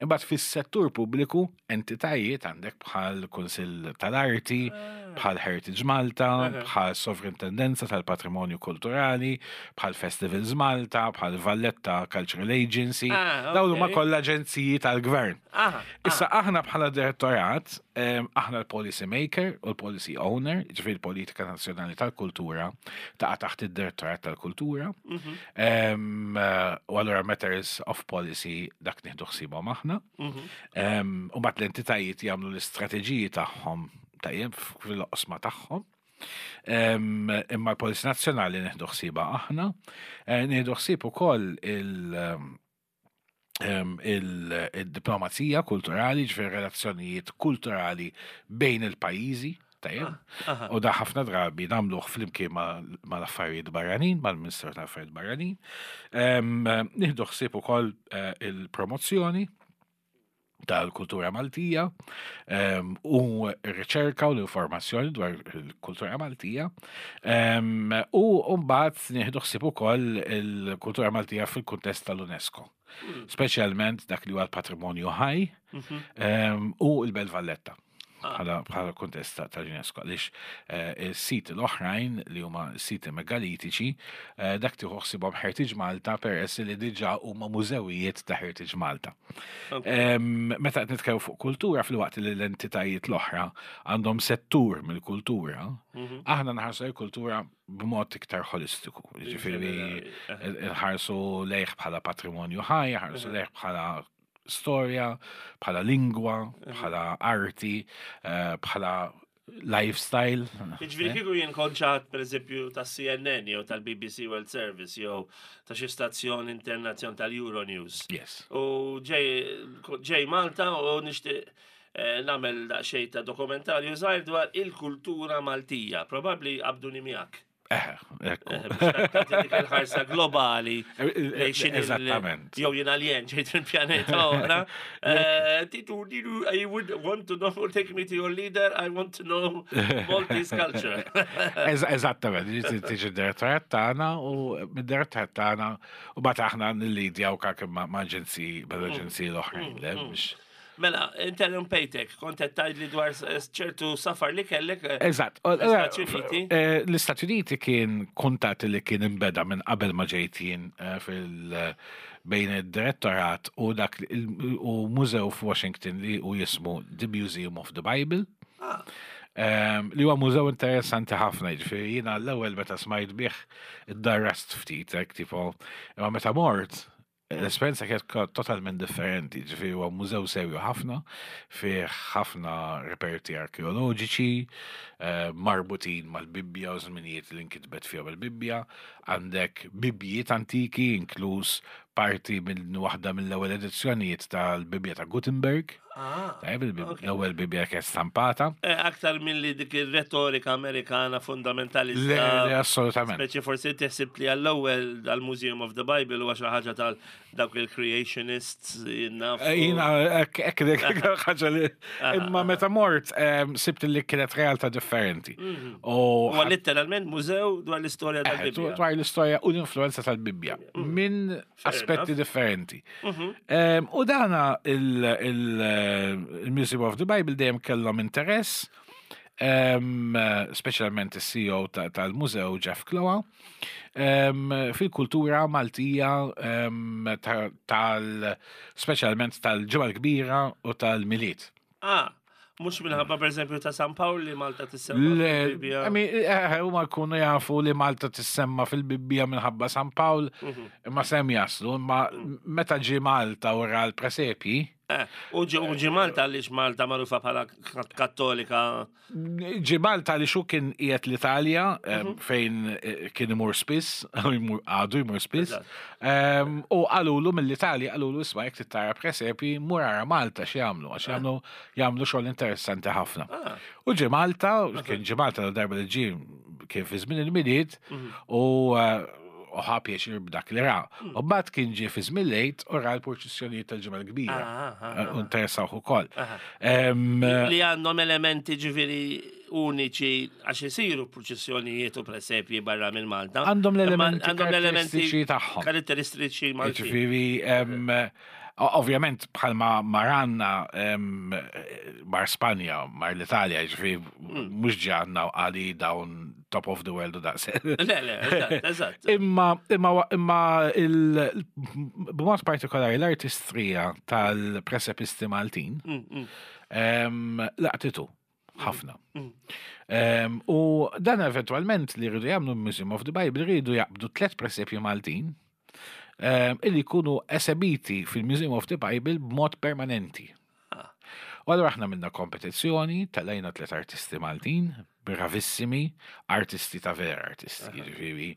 imbagħad fis-settur pubbliku entitajiet għandek bħal Kunsill tal-Arti, ah. bħal Heritage Malta, bħal Sovrintendenza tal-Patrimonju Kulturali, bħal Festivals Malta, bħal Valletta Cultural Agency, ah, dawn huma kollha aġenziji tal-gvern. Ah, Issa aħna bħala direttorat, aħna l-policy maker u l-policy owner, ġifieri l-politika nazzjonali tal-kultura taqa' taħt id-direttorat tal-kultura. Mhm. U allura matters of policy dak nieħdu ħsiebhom aħna. Mhm. U bat l-entitajiet jagħmlu l-istrateġiji tagħhom tajjeb fil-oqsma tagħhom. Imma l-Policy Nazzjonali nieħdu ħsiebha aħna. Eh, nieħdu ħsieb ukoll il- il-diplomazija kulturali, ġifieri relazzjonijiet kulturali bejn il-pajjiżi, tajjeb. Ah, u da ħafna drabi nagħmluh flimkien mal-affarijiet barranin, mal-Ministeru tal-Affarijiet Barranin. Nieħdu ħsieb ukoll eh, il-promozzjoni tal-kultura Maltija ehm, u r-riċerka u l-informazzjoni dwar il-kultura Maltija ehm, u mbagħad nieħdu ħsieb ukoll il-kultura Maltija fil-kuntest tal-UNESCO. Hmm. Speċjalment dak li huwa l-patrimonju ħaj mhm. ehm, u l-Belt Valletta. Ah. bħala kuntest tal-UNESCO għaliex eh, is-siti l-oħrajn li huma siti megalitiċi eh, dak tieħu ħsibhom Heritage Malta peress li diġà huma mużewijiet ta' Heritage Malta. Meta qed nitkellmu fuq kultura fil-waqt li l-entitajiet l-oħra għandhom settur mill-kultura, mhm. aħna nħarsu l-kultura b'mod iktar holistiku. Ġifieri eh. nħarsu lejh bħala patrimonju ħaj, ħarsu lejh bħala storja, bħala lingwa, bħala arti, eh, bħala lifestyle. Ġifieri eh? kieku jien konċat per eżempju ta' CNN jew tal-BBC World Service jew ta' xi stazzjon internazzjon tal-Euronews. Yes. U ġej Malta u nixtieq eh, nagħmel daqsxejn ta' dokumentarju żgħir dwar il-kultura Maltija. Probabbli qabduni miegħek. Eh, ekku. Eh, dik il-ħarsa globali. Eh, eżattament. Jew jien alien ġejt minn pjaneta oħra. Titu, titu, I would want to know, take me to your leader, I want to know Maltese culture. Eżattament, tiġi direttorat tagħna u mid-direttorat tagħna u bat aħna nillidjaw kak ma' aġenziji, mal-aġenziji mm. l-oħrajn, le mm. biex. Mela, interrompejtek, kont qed tgħidli dwar ċertu safar li kellek. Eh, Eżatt. L-Istati Uniti. Eh, L-Istati Uniti kien kuntat li kien imbeda minn qabel ma ġejt jien eh, fil bejn id-direttorat u dak u mużew f'Washington li u jismu The Museum of the Bible. Ah. Ehm, li huwa mużew interessanti ħafna, jiġifieri jiena l-ewwel meta smajt bih iddarrast ftit, hekk tipo, imma meta mort L-esperjenza kienet totalment differenti, ġifieri huwa mużew serju ħafna, fih ħafna reperti arkeoloġiċi, eh, marbutin mal-Bibbja u żminijiet li nkitbet fihom il-Bibbja, għandek bibjiet antiki, inkluż parti minn waħda mill-ewwel edizzjonijiet tal-Bibbja ta' Gutenberg. Ah, Tajjeb, l-ewwel Bibbja kienet stampata. Eh, aktar milli dik ir-retorika Amerikana fundamentalista. Le, assolutament. Speċi forsi teħsib li għall-ewwel dal-Museum of the Bible huwa xi ħaġa tal dawk il-creationists jinnaf. Eh, jina, hekk dik ħaġa li. Imma meta mort sibt li kienet realtà differenti. Mhm. Huwa letteralment mużew dwar l-istorja eh, tal-Bibbja. Dwar l-istorja u l-influenza tal-Bibbja. Mm. Minn aspetti differenti. Mhm. U dana il-Museum of the Bible dejjem kellhom interess, speċjalment is-CEO tal-mużew Jeff Kloa, fil-kultura Maltija tal speċjalment tal-ġimgħa l-kbira u tal-Milied. Ah, mhux minħabba pereżempju ta' San Pawl li Malta tissemma fil-Bibbja. Eh, eh, huma jkunu jafu li Malta tissemma fil-Bibbja minħabba San Pawl, mhm. imma sem jaslu, imma mm. meta ġie Malta u ra l-presepji. Eh, u ġie Malta għaliex Malta magħrufa bħala kattolika Ġie Malta li xu kien qiegħed l-Italja mhm. fejn eh, kien imur spiss, għadu jmur spiss. U qalulu mill-Italja qalulu isma' jekk tittara presepi mur ara Malta x'jagħmlu għax jagħmlu jagħmlu xogħol interessanti ħafna. Ah. U ġie Malta, kien ġie Malta darba li ġie kien fi żmien il-Milied mhm. u eh, u ħa pjaċir b'dak li ra. Mm. U mbagħad kien ġie fi żmien lejt u ra l-purċissjonijiet tal-ġimgħa l-kbira. Ah, ah, ah, u interessawh ukoll. Li għandhom elementi ġifieri uniċi għax isiru purċissjonijiet u presepji barra minn Malta. Għandhom l-elementi karatteristiċi tagħhom. Karatteristiċi Malti. Ġifieri Ovvjament bħalma maranna mar Spanja, mar l-Italja, ġifieri mm. mhux ġi għandna għali dawn top of the world u daqs. Le, le, eżatt. Imma, imma, imma b'mod partikolari l-artistrija tal-presepisti Maltin mm, mm. laqtitu ħafna. U dan eventualment li rridu jagħmlu Museum of the Bible rridu jaqbdu tlet presepji Maltin illi jkunu esebiti fil-Museum of the Bible b'mod permanenti. Ah. U allura aħna minna kompetizzjoni, telajna tlet artisti Maltin, bravissimi, artisti ta' vera artisti, ġifieri.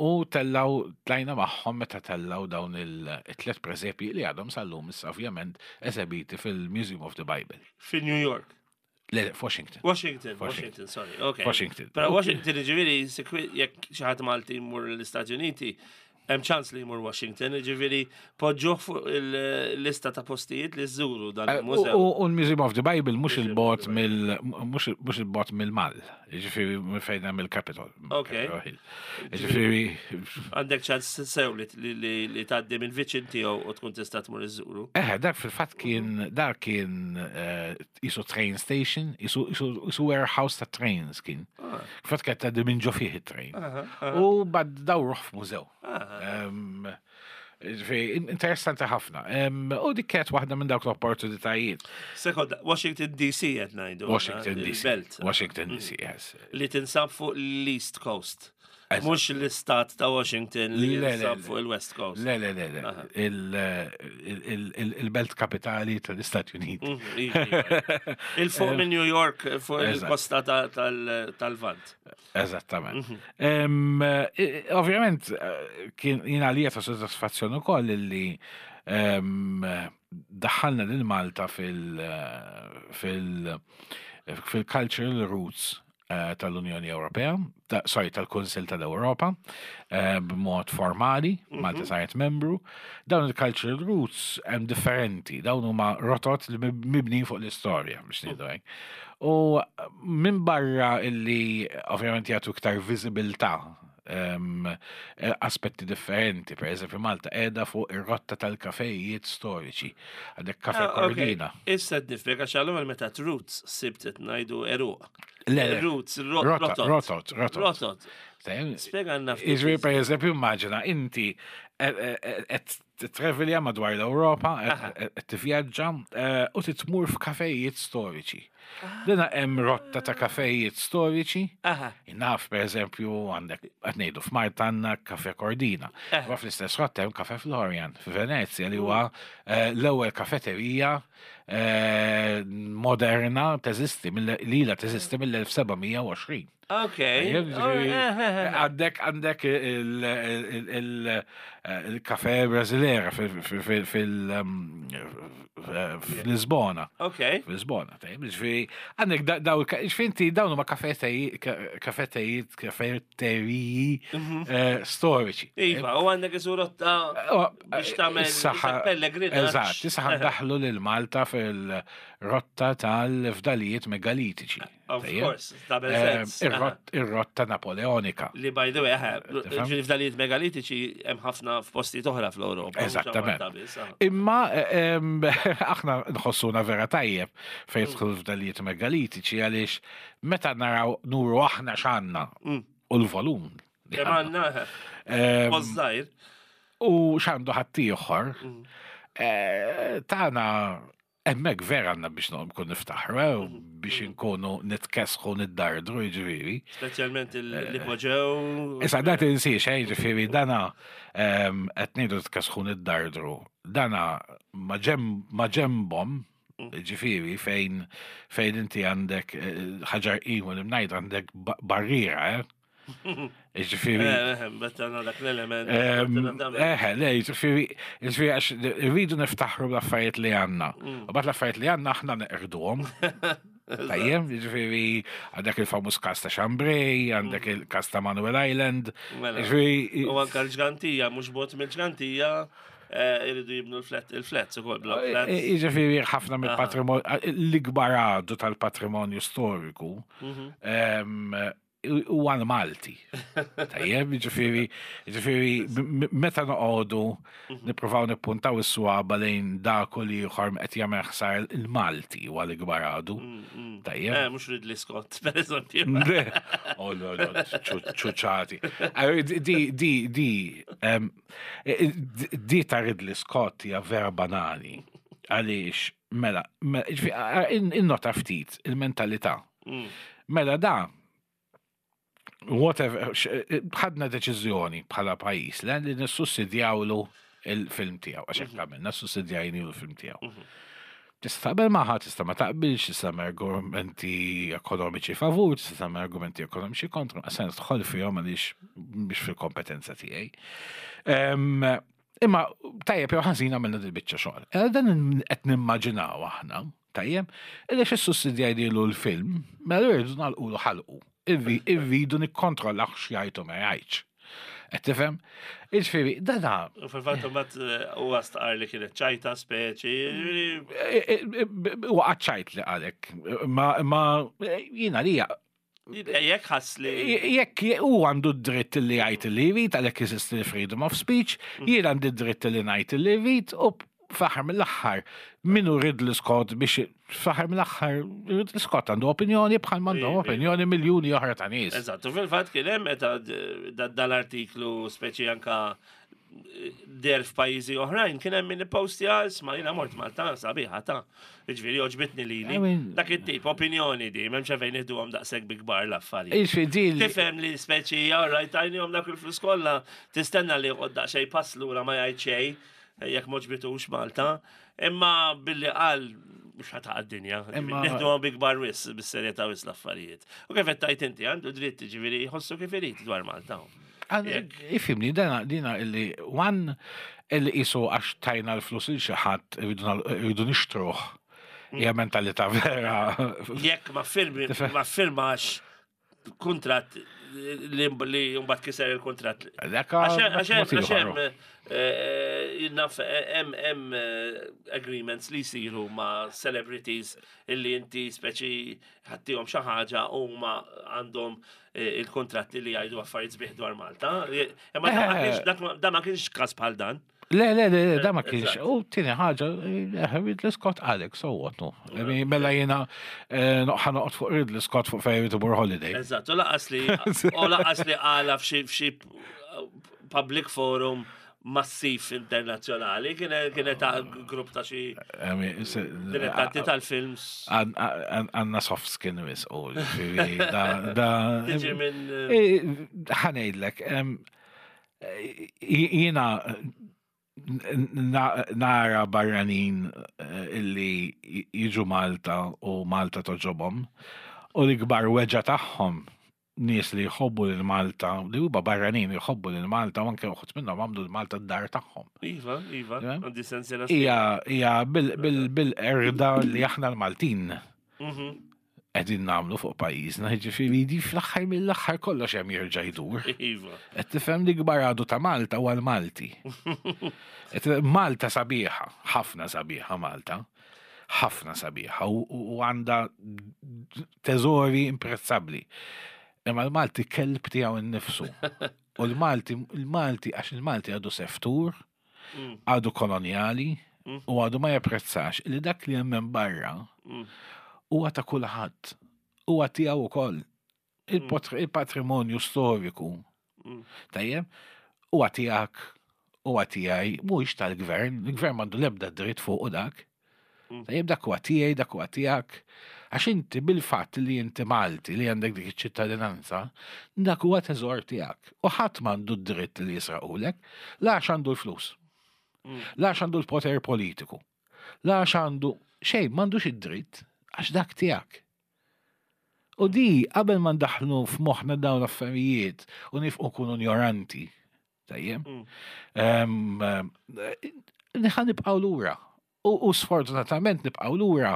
U tellaw, tlajna magħhom meta tellaw dawn il-tlet presepi li għadhom sal-lum issa ovvjament esebiti fil-Museum of the Bible. Fi New York. Le, Washington. Washington, Washington, sorry, ok. Washington. Pero Washington, ġiviri, jekk xi ħadd Malti jmur l-Istati Uniti, hemm ċans li jmur Washington, ġiviri, poġġuh fuq il-lista ta' postijiet li żżuru dan eh, il-mużew. U l-Museum of the Bible mhux il-bot mill mhux il-bot mill-Mal, ġifieri fejn hemm il-Capitol. Ok. Ġifieri. Għandek ċans sew li tgħaddi minn viċin tiegħu u tkun tista' tmur iżżuru. Eh, dak fil-fatt kien dak kien eh, isu train station, isu warehouse ta' trains kien. Ah. Fatt kien tgħaddi minn ġo fih it-train. U bad dawruh f'mużew. Ah. Interessanti ħafna. U dik kienet waħda minn dawk l-opportunitajiet. Sekonda, Washington DC qed ngħidu. Washington DC. Washington DC, mm. yes. Li tinsab fuq l-East Coast. Mhux l-istat ta' Washington li jinsab fuq il-West Coast. Le, le, le, le. Il-belt kapitali tal-Istati Uniti. Mm, iva, iva. Il-fuq minn New York, fuq il-kosta tal-Vant. Eżattament. Mhm. Ovvjament, eh, kien jina li ta' soddisfazzjon ukoll li daħħalna lil Malta fil- eh, fil- fil-cultural roots eh, tal-Unjoni Ewropea, sorry, tal-Kunsil tal-Ewropa, b'mod formali, mhm. Malta saret membru. Dawn il-cultural roots hemm differenti, dawn huma rotot li mibnin fuq l-istorja, biex ngħidu hekk. U minn barra illi ovvjament jagħtu iktar viżibilità eh, aspetti differenti, per eżempju Malta qiegħda fuq ir-rotta tal-kafejiet storiċi. Għandek kafe ah, Cordina. Issa d-nifreka xallu meta roots sibt qed ngħidu eruq. Le, roots, rotot. Rotot, rotot. Rotot. Spjega għandna. Iġri per eżempju immaġina inti qed titrevilja madwar l-Ewropa, qed tivvjaġġa eh, u titmur f'kafejiet storiċi. Dina hemm rotta ta' kafejiet storiċi. Aha. Naf, per eżempju, għandek, qed ngħidu f'Malta għandna Cafe Cordina. Ma fl-istess rotta hemm Cafe Florian f'Venezja li huwa l-ewwel kafeterija moderna teżisti, li ilha teżisti mill-1720. Ok. Għandek għandek il-kafe Brasilera fil-Lisbona. Ok. Fil-Lisbona, tajjeb, ġifieri għandek daw, ġifieri inti dawn huma kafetejiet, kafeteriji storiċi. Iva, u għandek isu rotta biex tagħmel pellegrinaġġ. Eżatt, issa ħandaħlu lil Malta fil-rotta tal-fdalijiet megalitiċi. Of course, tagħmel sens. Ir-rotta napoleonika. Li by the way, ġifieri fdalijiet megalitiċi hemm ħafna f'postijiet oħra fl-Ewropa. Eżattament. Imma aħna nħossuna vera tajjeb fejn jidħlu fdalijiet megalitiċi għaliex meta naraw nuru aħna x'għandna u l-volum. Kemm għandna, żgħir. U x'għandu ħaddieħor, tagħna hemmhekk vera għandna biex nkun niftaħru, u biex inkunu nitkesħu niddardru, jiġifieri. Speċjalment l-ipoġew. Issa da tinsiex, jiġifieri dana qed ngħidu nitkesħu niddardru. Dana ma ġembhom, ġifieri fejn inti għandek ħaġar qim u l-imnajd għandek barriera, eh? Ġifieri. Bettana dak l-element. Le, ġifieri, ġifieri, għax rridu niftaħru l-affarijiet li għandna. U bat l-affarijiet li għandna aħna neqirduhom. Tajjem, ġifieri, għandek il-famuż kas ta' Chambray, għandek il-kas ta' Manuel Island. Mela. Ġifieri. U anka l-ġgantija, mhux bot mill-ġgantija, irridu jibnu il-flats ukoll, block flats. Ġifieri, ħafna mill-patrimonju, l-ikbar għadu tal-patrimonju storiku, huwa l-Malti. Tajjeb, ġifieri, meta noqogħdu nippruvaw nippuntaw is-swaba lejn dak u l-ieħor qed jagħmel ħsar il-Malti huwa l-ikbar għadu. Tajjeb. Mhux Ridley Scott, per eżempju. Oh, no, no, ċuċati. Di, di, di, di ta' Ridley Scott hija vera banali. Għaliex, mela, ġifieri, innota ftit il-mentalità. Mela da, whatever, ħadna deċiżjoni bħala pajjiż li nissussidjawlu il-film tiegħu, għax hekk għamilna, sussidjajni l-film tiegħu. Tista' taqbel magħha, tista' ma taqbilx, tista' tagħmel argumenti ekonomiċi favur, tista' tagħmel argumenti ekonomiċi kontra, ma se nidħol fihom għaliex biex fil-kompetenza tiegħi. Imma tajjeb jew ħażin għamilna dil-biċċa xogħol. Dan qed nimmaġinaw aħna, tajjeb, illi xi sussidjajnilu l-film, mela rridu nagħlqulu ħalqu. Irridu nikkontrollaw x'jgħid u ma jgħidx. Qed tifhem? Jiġifieri, dana. U fil-fatt imbagħad huwa stqar li kienet ċajta speċi. Huwa ċajt li qalek. Ma jiena li Jekk ħass li. Jekk hu għandu d-dritt li jgħid li jrid, għalhekk jeżisti l-freedom of speech, jien għandi d-dritt li ngħid li jrid u fl-aħħar mill-aħħar minnu Ridley Scott biex fl-aħħar mill-aħħar Ridley Scott għandu opinjoni bħal m'għandhom opinjoni miljuni oħra ta' nies. Eżatt, u fil-fatt kien hemm meta dal-artiklu speċi anka der f'pajjiżi oħrajn kien hemm min ippostja isma' jiena mort Malta sabiħa ta' jiġifieri għoġbitni lili. Dak it-tip opinjoni di, m'hemmx fejn nieħduhom daqshekk bi kbar l-affarijiet. Jiġifieri di Tifhem li speċi all right tajnihom dak il-flus kollha, tistenna li joqgħod daqsxejn pass lura ma jgħid xejn jekk m'għoġbitux Malta, imma billi qal mhux ħa taqa' d-dinja. Nieħduhom bi kbar wis, bis-serjetà wis l-affarijiet. U kif qed tgħid inti għandu dritt jiġifieri jħossu kif irid dwar Malta. Ifhimni, dina illi one illi qisu għax tajna l-flus il xi ħadd irridu nixtruh. Hija mentalità vera. Jekk ma firmi, ma firmax kuntratt li mbagħad kiser il-kuntratt. Dak Għax hemm jinnaf hemm agreements li jsiru ma' celebrities illi inti speċi ħattihom xi ħaġa u huma għandhom il-kontratti li jgħidu affarijiet sbieħ dwar Malta. Imma da ma kienx każ bħal dan. Le, le, le, da ma kienx. U tieni ħaġa, Ridley Scott għalek, so what, no. Mela jiena ħa noqgħod fuq Ridley Scott fuq fejn irid imur holiday. Eżatt, u laqas li u laqas li qala f'xi public forum. massiv internazzjonali, kienet ta' grupp ta' xi dilettanti tal-films. Għanna soft skin wis u da. Tiġi minn. Ħa ngħidlek, jiena nara barranin illi jiġu Malta u Malta togħġobhom u l-ikbar weġgħa tagħhom nies li jħobbu lil Malta, li huma barranin jħobbu lil Malta u anke uħud minnhom għamlu lil Malta d-dar tagħhom. Iva, iva, għandi sensiela. Hija hija bil-qerda li aħna l-Maltin qegħdin nagħmlu fuq pajjiżna, jiġifieri di fl-aħħar mill-aħħar kollox hemm jerġa' jdur. Iva. Qed tifhem li kbar għadu ta' Malta huwa l-Malti. Malta sabiħa, ħafna sabiħa Malta. Ħafna sabiħa u għandha teżori imprezzabbli. Imma l-Malti kelb tiegħu innifsu. U l-Malti, l-Malti, għax il-Malti għadu seftur, għadu kolonjali, u għadu ma japprezzax li dak li hemm minn barra huwa ta' kulħadd. Huwa tiegħu wkoll. Il-patrimonju storiku. Tajjeb, huwa tiegħek, huwa tiegħi, mhuwiex tal-gvern, il-gvern m'għandu l-ebda dritt fuq dak. Tajjeb, dak huwa tiegħi, dak huwa tiegħek. Għax inti bil-fatt li inti Malti li għandek dik iċ-ċittadinanza, dak huwa teżor tiegħek. U ħadd m'għandu d-dritt li jisraqulek, la għax għandu l-flus. La għax għandu l-poter politiku. La għax għandu xejn, m'għandux id-dritt għax dak tiegħek. U di qabel ma ndaħlu f'moħħna dawn l-affarijiet u nifqu nkunu ignoranti, tajjeb, ħa nibqgħu lura. U sfortunatament nibqgħu lura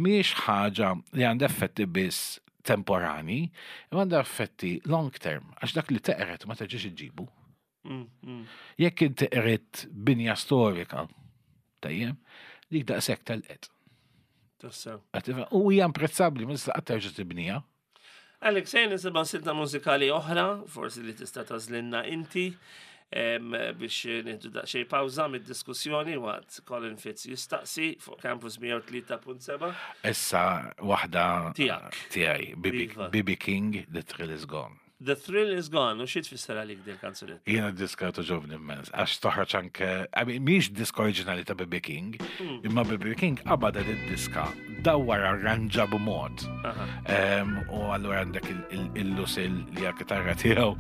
mhijiex ħaġa li għandha effetti biss temporani, imma għandha effetti long term, għax dak li teqret ma terġax iġġibu. Jekk inti qridt binja storika, tajjeb, dik daqshekk telqet. Tassew. U hija imprezzabbli, ma tista' qatt terġa' tibniha. Alex, ejja nisimgħu silta mużikali oħra, forsi li tista' tagħżlilna inti, biex nieħdu daqsxejn pawża mid-diskussjoni waqt Colin Fitz jistaqsi fuq Campus 103.7. Issa waħda Tiegħek. tiegħi, Iva. BB King, The Thrill Is Gone. The Thrill Is Gone, u xi tfisser għalik dil kanzunetta? Jiena diska togħġobni immens, għax toħroġ anke, I mean, mhix diska oriġinali ta' BB King, imma BB King qabad id-diska dawwar arranġa b'mod. U allura għandek il-Lucille li hija kitarra tiegħu,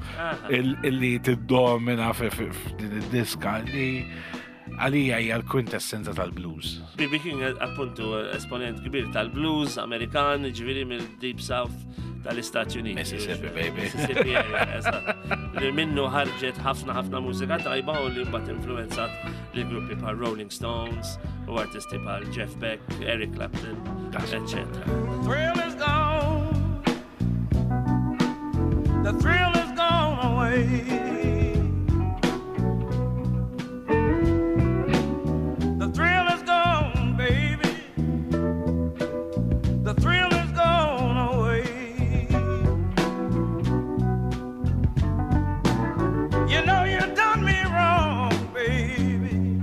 illi tiddomina f'din id-diska li għalija hija l-kwintessenza tal-blues. BB King appuntu esponent kbir tal-blues Amerikan, ġifieri mill-Deep South tal-Istati Uniti. Mississippi, baby. Mississippi area, eżatt. Li minnu ħarġet ħafna ħafna mużika tajba u li mbagħad influenzat li gruppi bħal Rolling Stones u artisti bħal Jeff Beck, Eric Clapton, eccetera. The thrill is gone. The thrill is gone away. The thrill is gone, baby. The thrill is gone away. You know you done me wrong, baby,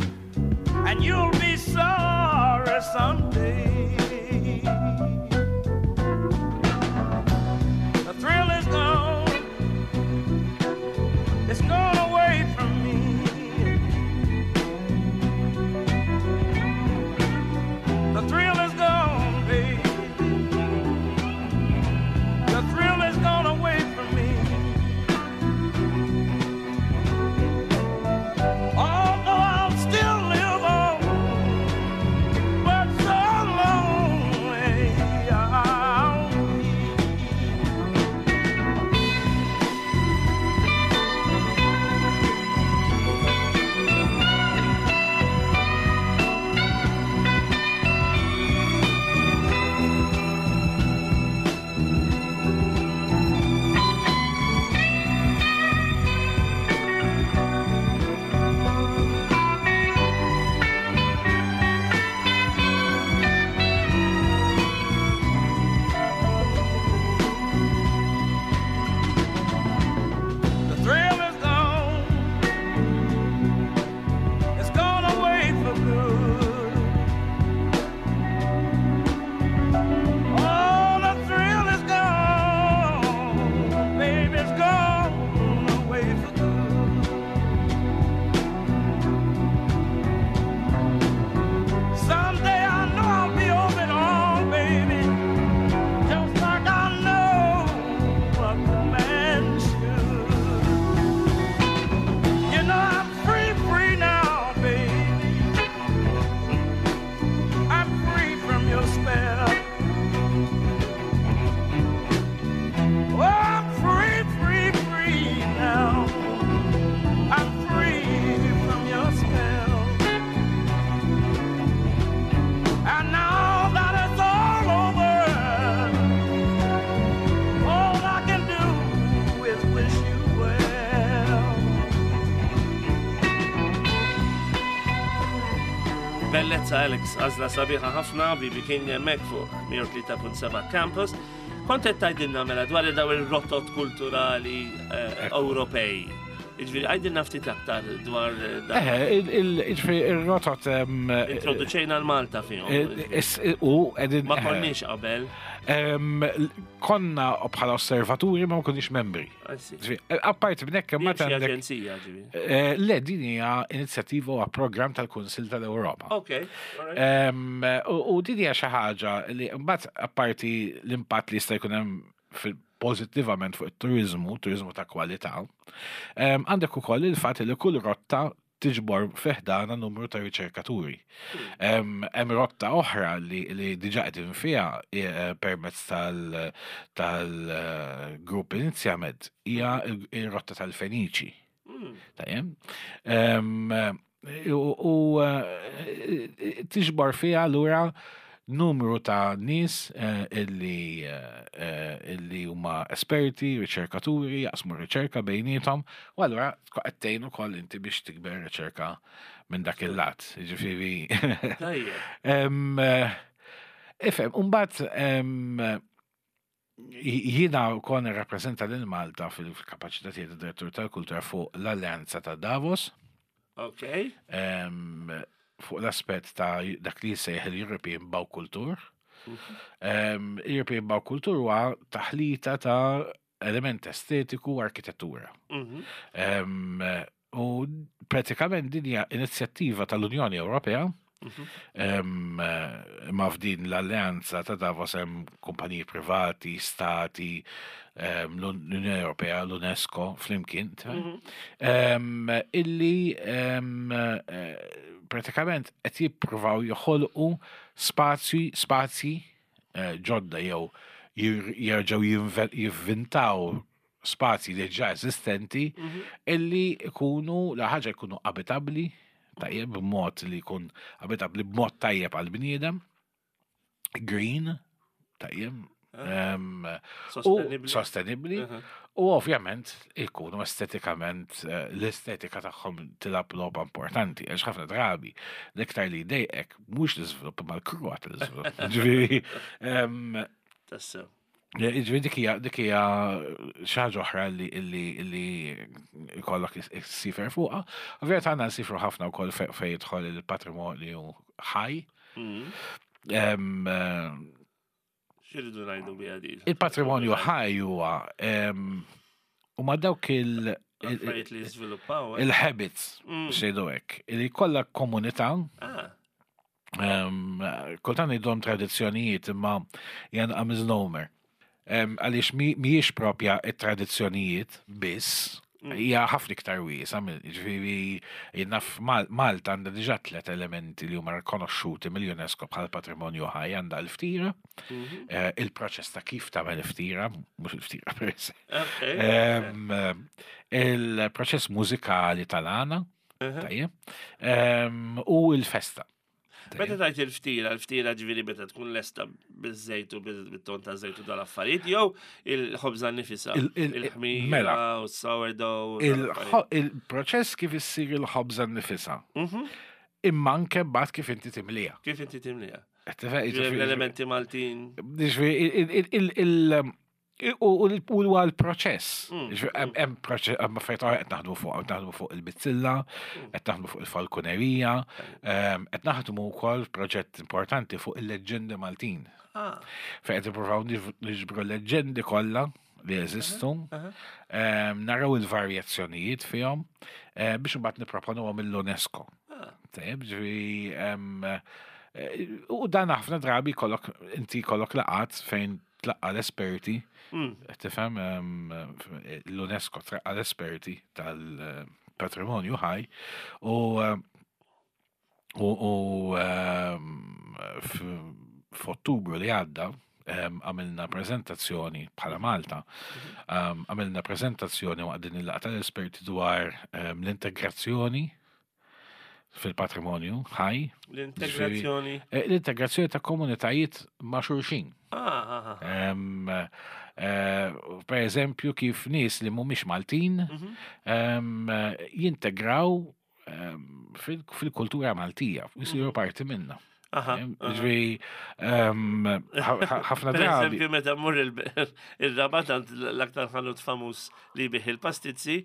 and you'll be sorry someday. The thrill is gone. It's gone away from me. The thrill is gone, baby. The thrill is gone away from me. Although I'll still live on, but so Bellezza Alex, għażla sabiħa ħafna, BB King hemmhekk fuq 103.7 Campus. Kont qed tgħidilna mela dwar daw ir-rotot kulturali eh, Ewropej. Jiġifieri għidilna ftit aktar dwar eh, dan. Eh, jiġifieri ir-rotot Introduċejna l-Malta fihom. U qegħdin Ma konniex qabel. Konna bħala osservaturi ma konniex membri. Apparti minn hekk ma għandek. Aġenzija ġifieri. Eh, le, din hija inizjattiva u programm tal-Kunsill tal-Ewropa. Ok. U din hija xi ħaġa li mbagħad apparti l-impatt li jista' jkun hemm pożittivament fuq it-turiżmu, turiżmu ta' kwalità, għandek ukoll il-fatt li kull rotta tiġbor fi ħdana numru ta' riċerkaturi. Hemm rotta oħra li, li diġà qegħdin fiha eh, permezz tal-grupp tal Inizjamed hija ir-rotta tal-Feniċi. Hmm. Tajjem. U eh, tiġbor fiha lura numru ta' nies eh, illi eh, illi huma esperti, riċerkaturi, jaqsmu riċerka bejniethom, u allura qed tgħin ukoll inti biex tikber riċerka minn dak il-lat. Jiġifieri. Eh, ifhem, imbagħad jiena kon nirrappreżenta lil Malta fil-kapaċità tiegħi ta' direttur tal-kultura fuq l-Alleanza ta' Davos. Ok. Fuq l-aspett ta' dak li jissejjaħ il-European Baukultur. Mhm. European Baukultur huwa taħlita ta' element estetiku u arkitettura. Mhm. U pratikament din hija inizjattiva tal-Unjoni Ewropea mhm. ma f'din l-alleanza ta' Davos hemm kumpaniji privati, stati, l-Unjoni Ewropea, l-UNESCO flimkien, mhm. illi eh, pratikament qed jippruvaw joħolqu spazji spazji eh, ġodda jew jerġgħu jivvintaw spazji li ġa eżistenti mhm. illi jkunu la ħaġa jkunu abitabbli tajjeb b'mod li jkun abitabbli b'mod tajjeb għal bniedem green tajjeb ah. sostenibli mhm. u ovvjament ikunu estetikament eh, l-estetika tagħhom tilab logħba importanti għax ħafna drabi l-iktar li jdejqek mhux l-iżvilupp imma l-kruha tal-iżvilupp. Ġifieri Tassew. Ġifieri dik hija dik hija xi ħaġa oħra li li li jkollok issifer fuqha. Ovvjament għandna nsifru ħafna wkoll fejn jidħol il-patrimonju ħaj. Mm. Eh, X'iridu ngħidu biha din? Il-patrimonju ħaj huwa huma dawk il- Affarijiet li jiżviluppaw. Eh? Il-habits, mm. xejdu hekk, li kollha komunità. Ah. Kultant ngħidhom tradizzjonijiet imma hija misnomer. Għaliex mhijiex propja it-tradizzjonijiet biss, mm. hija ħafna iktar wiesa, ġifieri jiena Malta għandha diġà tliet elementi li huma rikonoxxuti mill-UNESCO bħal patrimonju ħaj għandha l-ftira, mhm. eh, il-proċess ta' kif tagħmel ftira, mhux il-ftira per se. Il-proċess mużikali tal-għana, Tajjeb. U l-festa. Meta tajt il-ftira, il-ftira ġviri meta tkun lesta bil-żejt u bil-ton ta' żejt u dal-affarijiet, jew il-ħobza nifisa, il-ħmira mela. u s-sourdough. Il-proċess kif issir il-ħobza nifisa. Mhm. Imma anke mbagħad kif inti timlija. Kif inti timlija. L-elementi Maltin. U huwa l-proċess. Mm. Hemm proċess, hemm affarijiet oħra qed naħdmu fuq, qed naħdmu fuq il-bizzilla, mm. qed naħdmu fuq il-falkunerija, ehm, qed naħdmu wkoll proġett importanti fuq il-leġġendi Maltin. Ah. Fejn qed nippruvaw niġbru l-leġġendi kollha li jeżistu, ehm, naraw il-varjazzjonijiet fihom eh, biex imbagħad nipproponuhom mill-UNESCO. Ah. Tajjeb, ġifieri ehm, eh, u dan ħafna drabi kollok inti kollok laqat fejn tlaqqa l-esperti, mm. tifhem l-UNESCO tlaqqa l-esperti tal-patrimonju ħaj u u f'Ottubru li għadda għamilna prezentazzjoni bħala Malta, mhm. għamilna prezentazzjoni waqt din il-laqgħa tal-esperti dwar l-integrazzjoni fil-patrimonju ħaj. L-integrazzjoni. Eh, l-integrazzjoni ta' komunitajiet ma' xulxin. Ah, ah, ah. Eh, per eżempju, kif nies li mhumiex Maltin mhm. jintegraw fil-kultura Maltija, jisiru parti minna. Ġifieri, ħafna drabi. Eżempju, meta mmur il-Rabat għand l-aktar ħanut famuż li jbigħ il-pastizzi,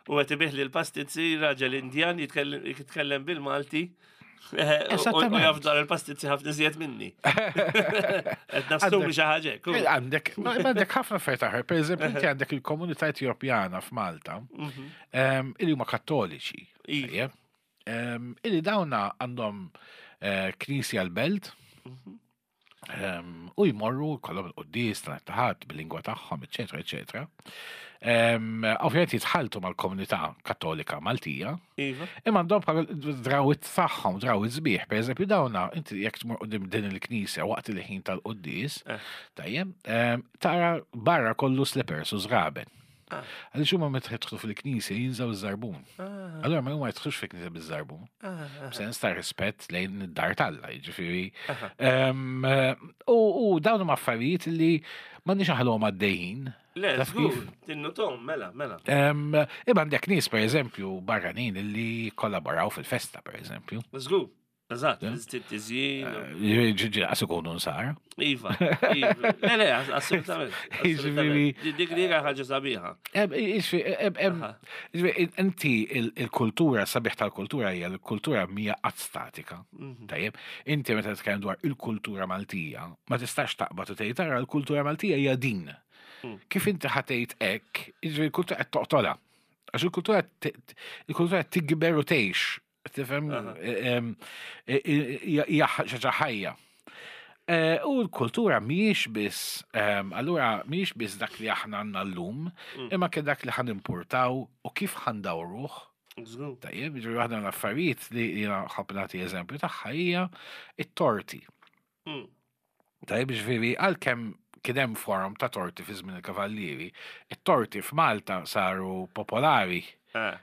u qed ibigħ li l-pastizzi raġel Indjan jitkellem bil-Malti. U jaf dwar il-pastizzi ħafna iżjed minni. Qed nassumi xi ħaġa hekk. Eh, għandek, għandek ħafna affarijiet aħra. Per eżempju, inti għandek il-komunità Etjopjana f'Malta, mhm. illi huma kattoliċi. Iva. Illi dawna għandhom eh, knisja l-belt, mhm. u jmorru kollhom il-quddis tal-taħat bil-lingwa tagħhom, eċetera, eċetera. Ovvjament jitħaltu mal-komunità kattolika Maltija. Iva. Imma għandhom bħala drawit tagħhom, drawit sbieħ. Per eżempju, dawna, inti jekk tmur qudiem din il-knisja waqt il-ħin tal-quddis, eh. tajjeb, tara barra kollu slippers u żraben. Ah. Għaliex huma meta jidħlu fil-knisja jinżaw iż-żarbun. Ah. Allura ma huma jidħlux fil-knisja biż-żarbun. Ah, Sens ta' rispett lejn id-dar talla, jiġifieri. U dawn huma affarijiet li m'għandniex aħlhom għaddejjin. Le, żgur, tinnutom, mela, mela. Imma għandek nies pereżempju barranin li kollaboraw fil-festa pereżempju. Żgur. Eżatt, tiżjin. Eh, ġiġi, għas ikunu nsar. Iva, iva. Le, le, assolutament. Jiġifieri. Dik li ħaġa sabiħa. Inti il-kultura, sabiħ tal-kultura hija l-kultura mija qatt statika. Mhm. Tajjeb, inti meta titkellem dwar il-kultura Maltija, ma tistax taqbad u tgħid tara l-kultura Maltija hija din. Mm. Kif inti ħatejt hekk, jiġifieri l-kultura qed toqtolha. Għax il-kultura il-kultura tikber u tgħix Tifhem hija xaġa ħajja. Eh, u l-kultura mhijiex biss, allura mhijiex biss dak li aħna għandna llum, mm. imma kien dak li ħan importaw u kif ħandawruh. Tajjeb, ġifieri waħda l-affarijiet li jiena ħobb nagħti eżempju tagħha hija it-torti. Mm. Tajjeb, ġifieri għalkemm kien hemm forum ta' torti fi żmien il-Kavallieri, it-torti f'Malta saru popolari. Eh,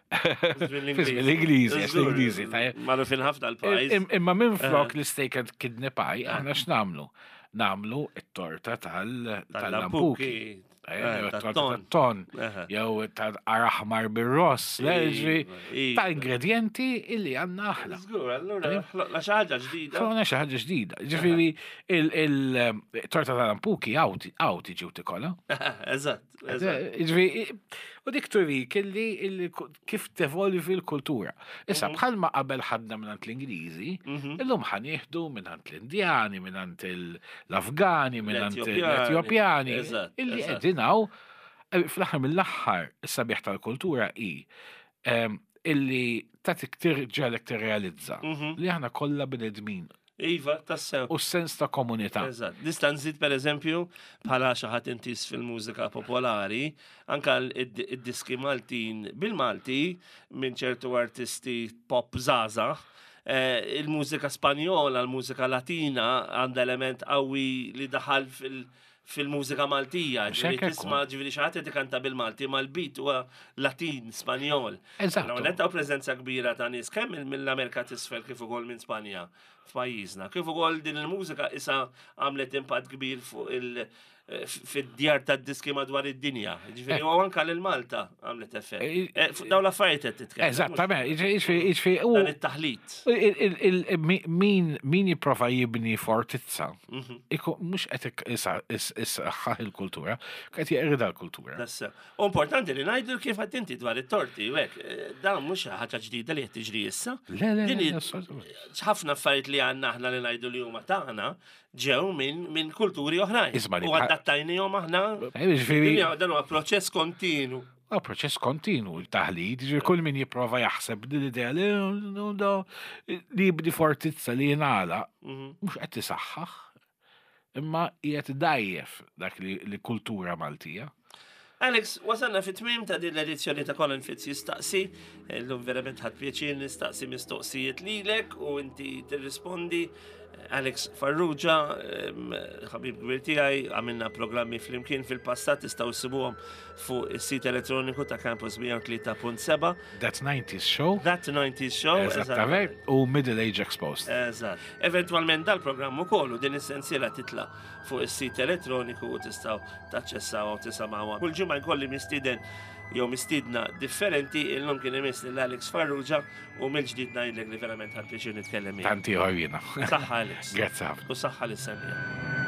fi żmien l-Ingliżi, l-Ingliżi. Magħrufin ħafna l-pajjiż. Imma minn flok eh. l-steak and kidney pie, aħna x'nagħmlu? Nagħmlu it-torta tal-lampuki. Eh, tat-ton, jew ta' aħmar bir-ross, ta' ingredienti illi għandna aħna. Żgur, allura ħloqna xi ħaġa ġdida. Ħloqna xi ħaġa ġdida. Ġifieri il-torta tal-ampuki għaw tiġi u tikola. Eżatt. Ġifieri, u dik turik illi kif tevolvi l-kultura. Issa, mhm. bħalma qabel ħadna minn l-Ingliżi, mhm. illum ħanieħdu minn l-Indjani, minn l-Afgani, minn l-Etjopjani, illi qegħdin hawn eh, fl-aħħar mill-aħħar is-sabiħ tal-kultura hi ehm, illi tagħtik tirġalek tirrealizza mhm. li aħna kollha bnedmin Iva, tassew. U sens ta' komunità. Eżatt. Nista' nżid pereżempju bħala xi ħadd intis fil-mużika popolari, anka id-diski Maltin bil-Malti minn ċertu artisti pop żgħażagħ, eh, il-mużika Spanjola, il-mużika Latina għandha element qawwi li daħal fil- fil-mużika Maltija, ġifieri tisma' ġifieri xi ħadd qed ikanta bil-Malti ma l-beat huwa Latin, Spanjol. Eżatt. Hawn preżenza kbira ta' nies kemm mill-Amerika t'isfel kif ukoll minn Spanja f'pajjiżna. Kif ukoll din il-mużika issa għamlet impatt kbir fuq il- fid-djar ta' diski madwar id-dinja. Ġifieri u anka lil Malta għamlet effett. Eh, eh, fuq dawn l-affarijiet qed titkellem. Eżattament, jiġifieri u dan it-taħlit. Min jipprova jibni fortizza mhm. Mhux qed issaħħaħ il-kultura, qed jeqrida l-kultura. U importanti li ngħidu kif qed inti dwar it-torti u hekk, eh, dan mhux ħaġa ġdida li qed tiġri issa. Le, le, ħafna affarijiet li għandna aħna li ngħidu li huma tagħna ġew minn kulturi oħrajn. U adattajnihom aħna. Eh, dan huwa proċess kontinu. Huwa proċess kontinu, taħlit, ġifieri kull min jipprova jaħseb din l-idea li li jibni fortizza li jingħalaq, mhm. mhux qed isaħħaħ, imma qiegħed dajjef dak li kultura Maltija. Alex, wasalna fit tmiem ta' din l-edizzjoni ta' Colin Fitz jistaqsi, illum verament ħadd pjaċir nistaqsi mistoqsijiet lilek u inti tirrispondi. Alex Farrugia, ħabib kbir tiegħi, għamilna programmi flimkien fil-passat tistgħu ssibuhom fuq is-sit elettroniku ta' Campus 103.7. That 90s Show. That 90s Show. Eżattament. U Middle Age Exposed. Eżatt. Eventwalment dal-programm ukoll u din is-sensiela titla' fuq is-sit elettroniku u tistgħu taċċessaw u tisimgħuha. Kull ġimgħa jkolli mistieden jew mistiedna differenti, illum kien imiss lil Alex Farrugia u mill-ġdid ngħidlek li verament ħadt pjaċir nitkellem miegħek. Tant ieħor jiena. Saħħa Alex. Grazzi ħafna. U saħħa lis-semmiegħa.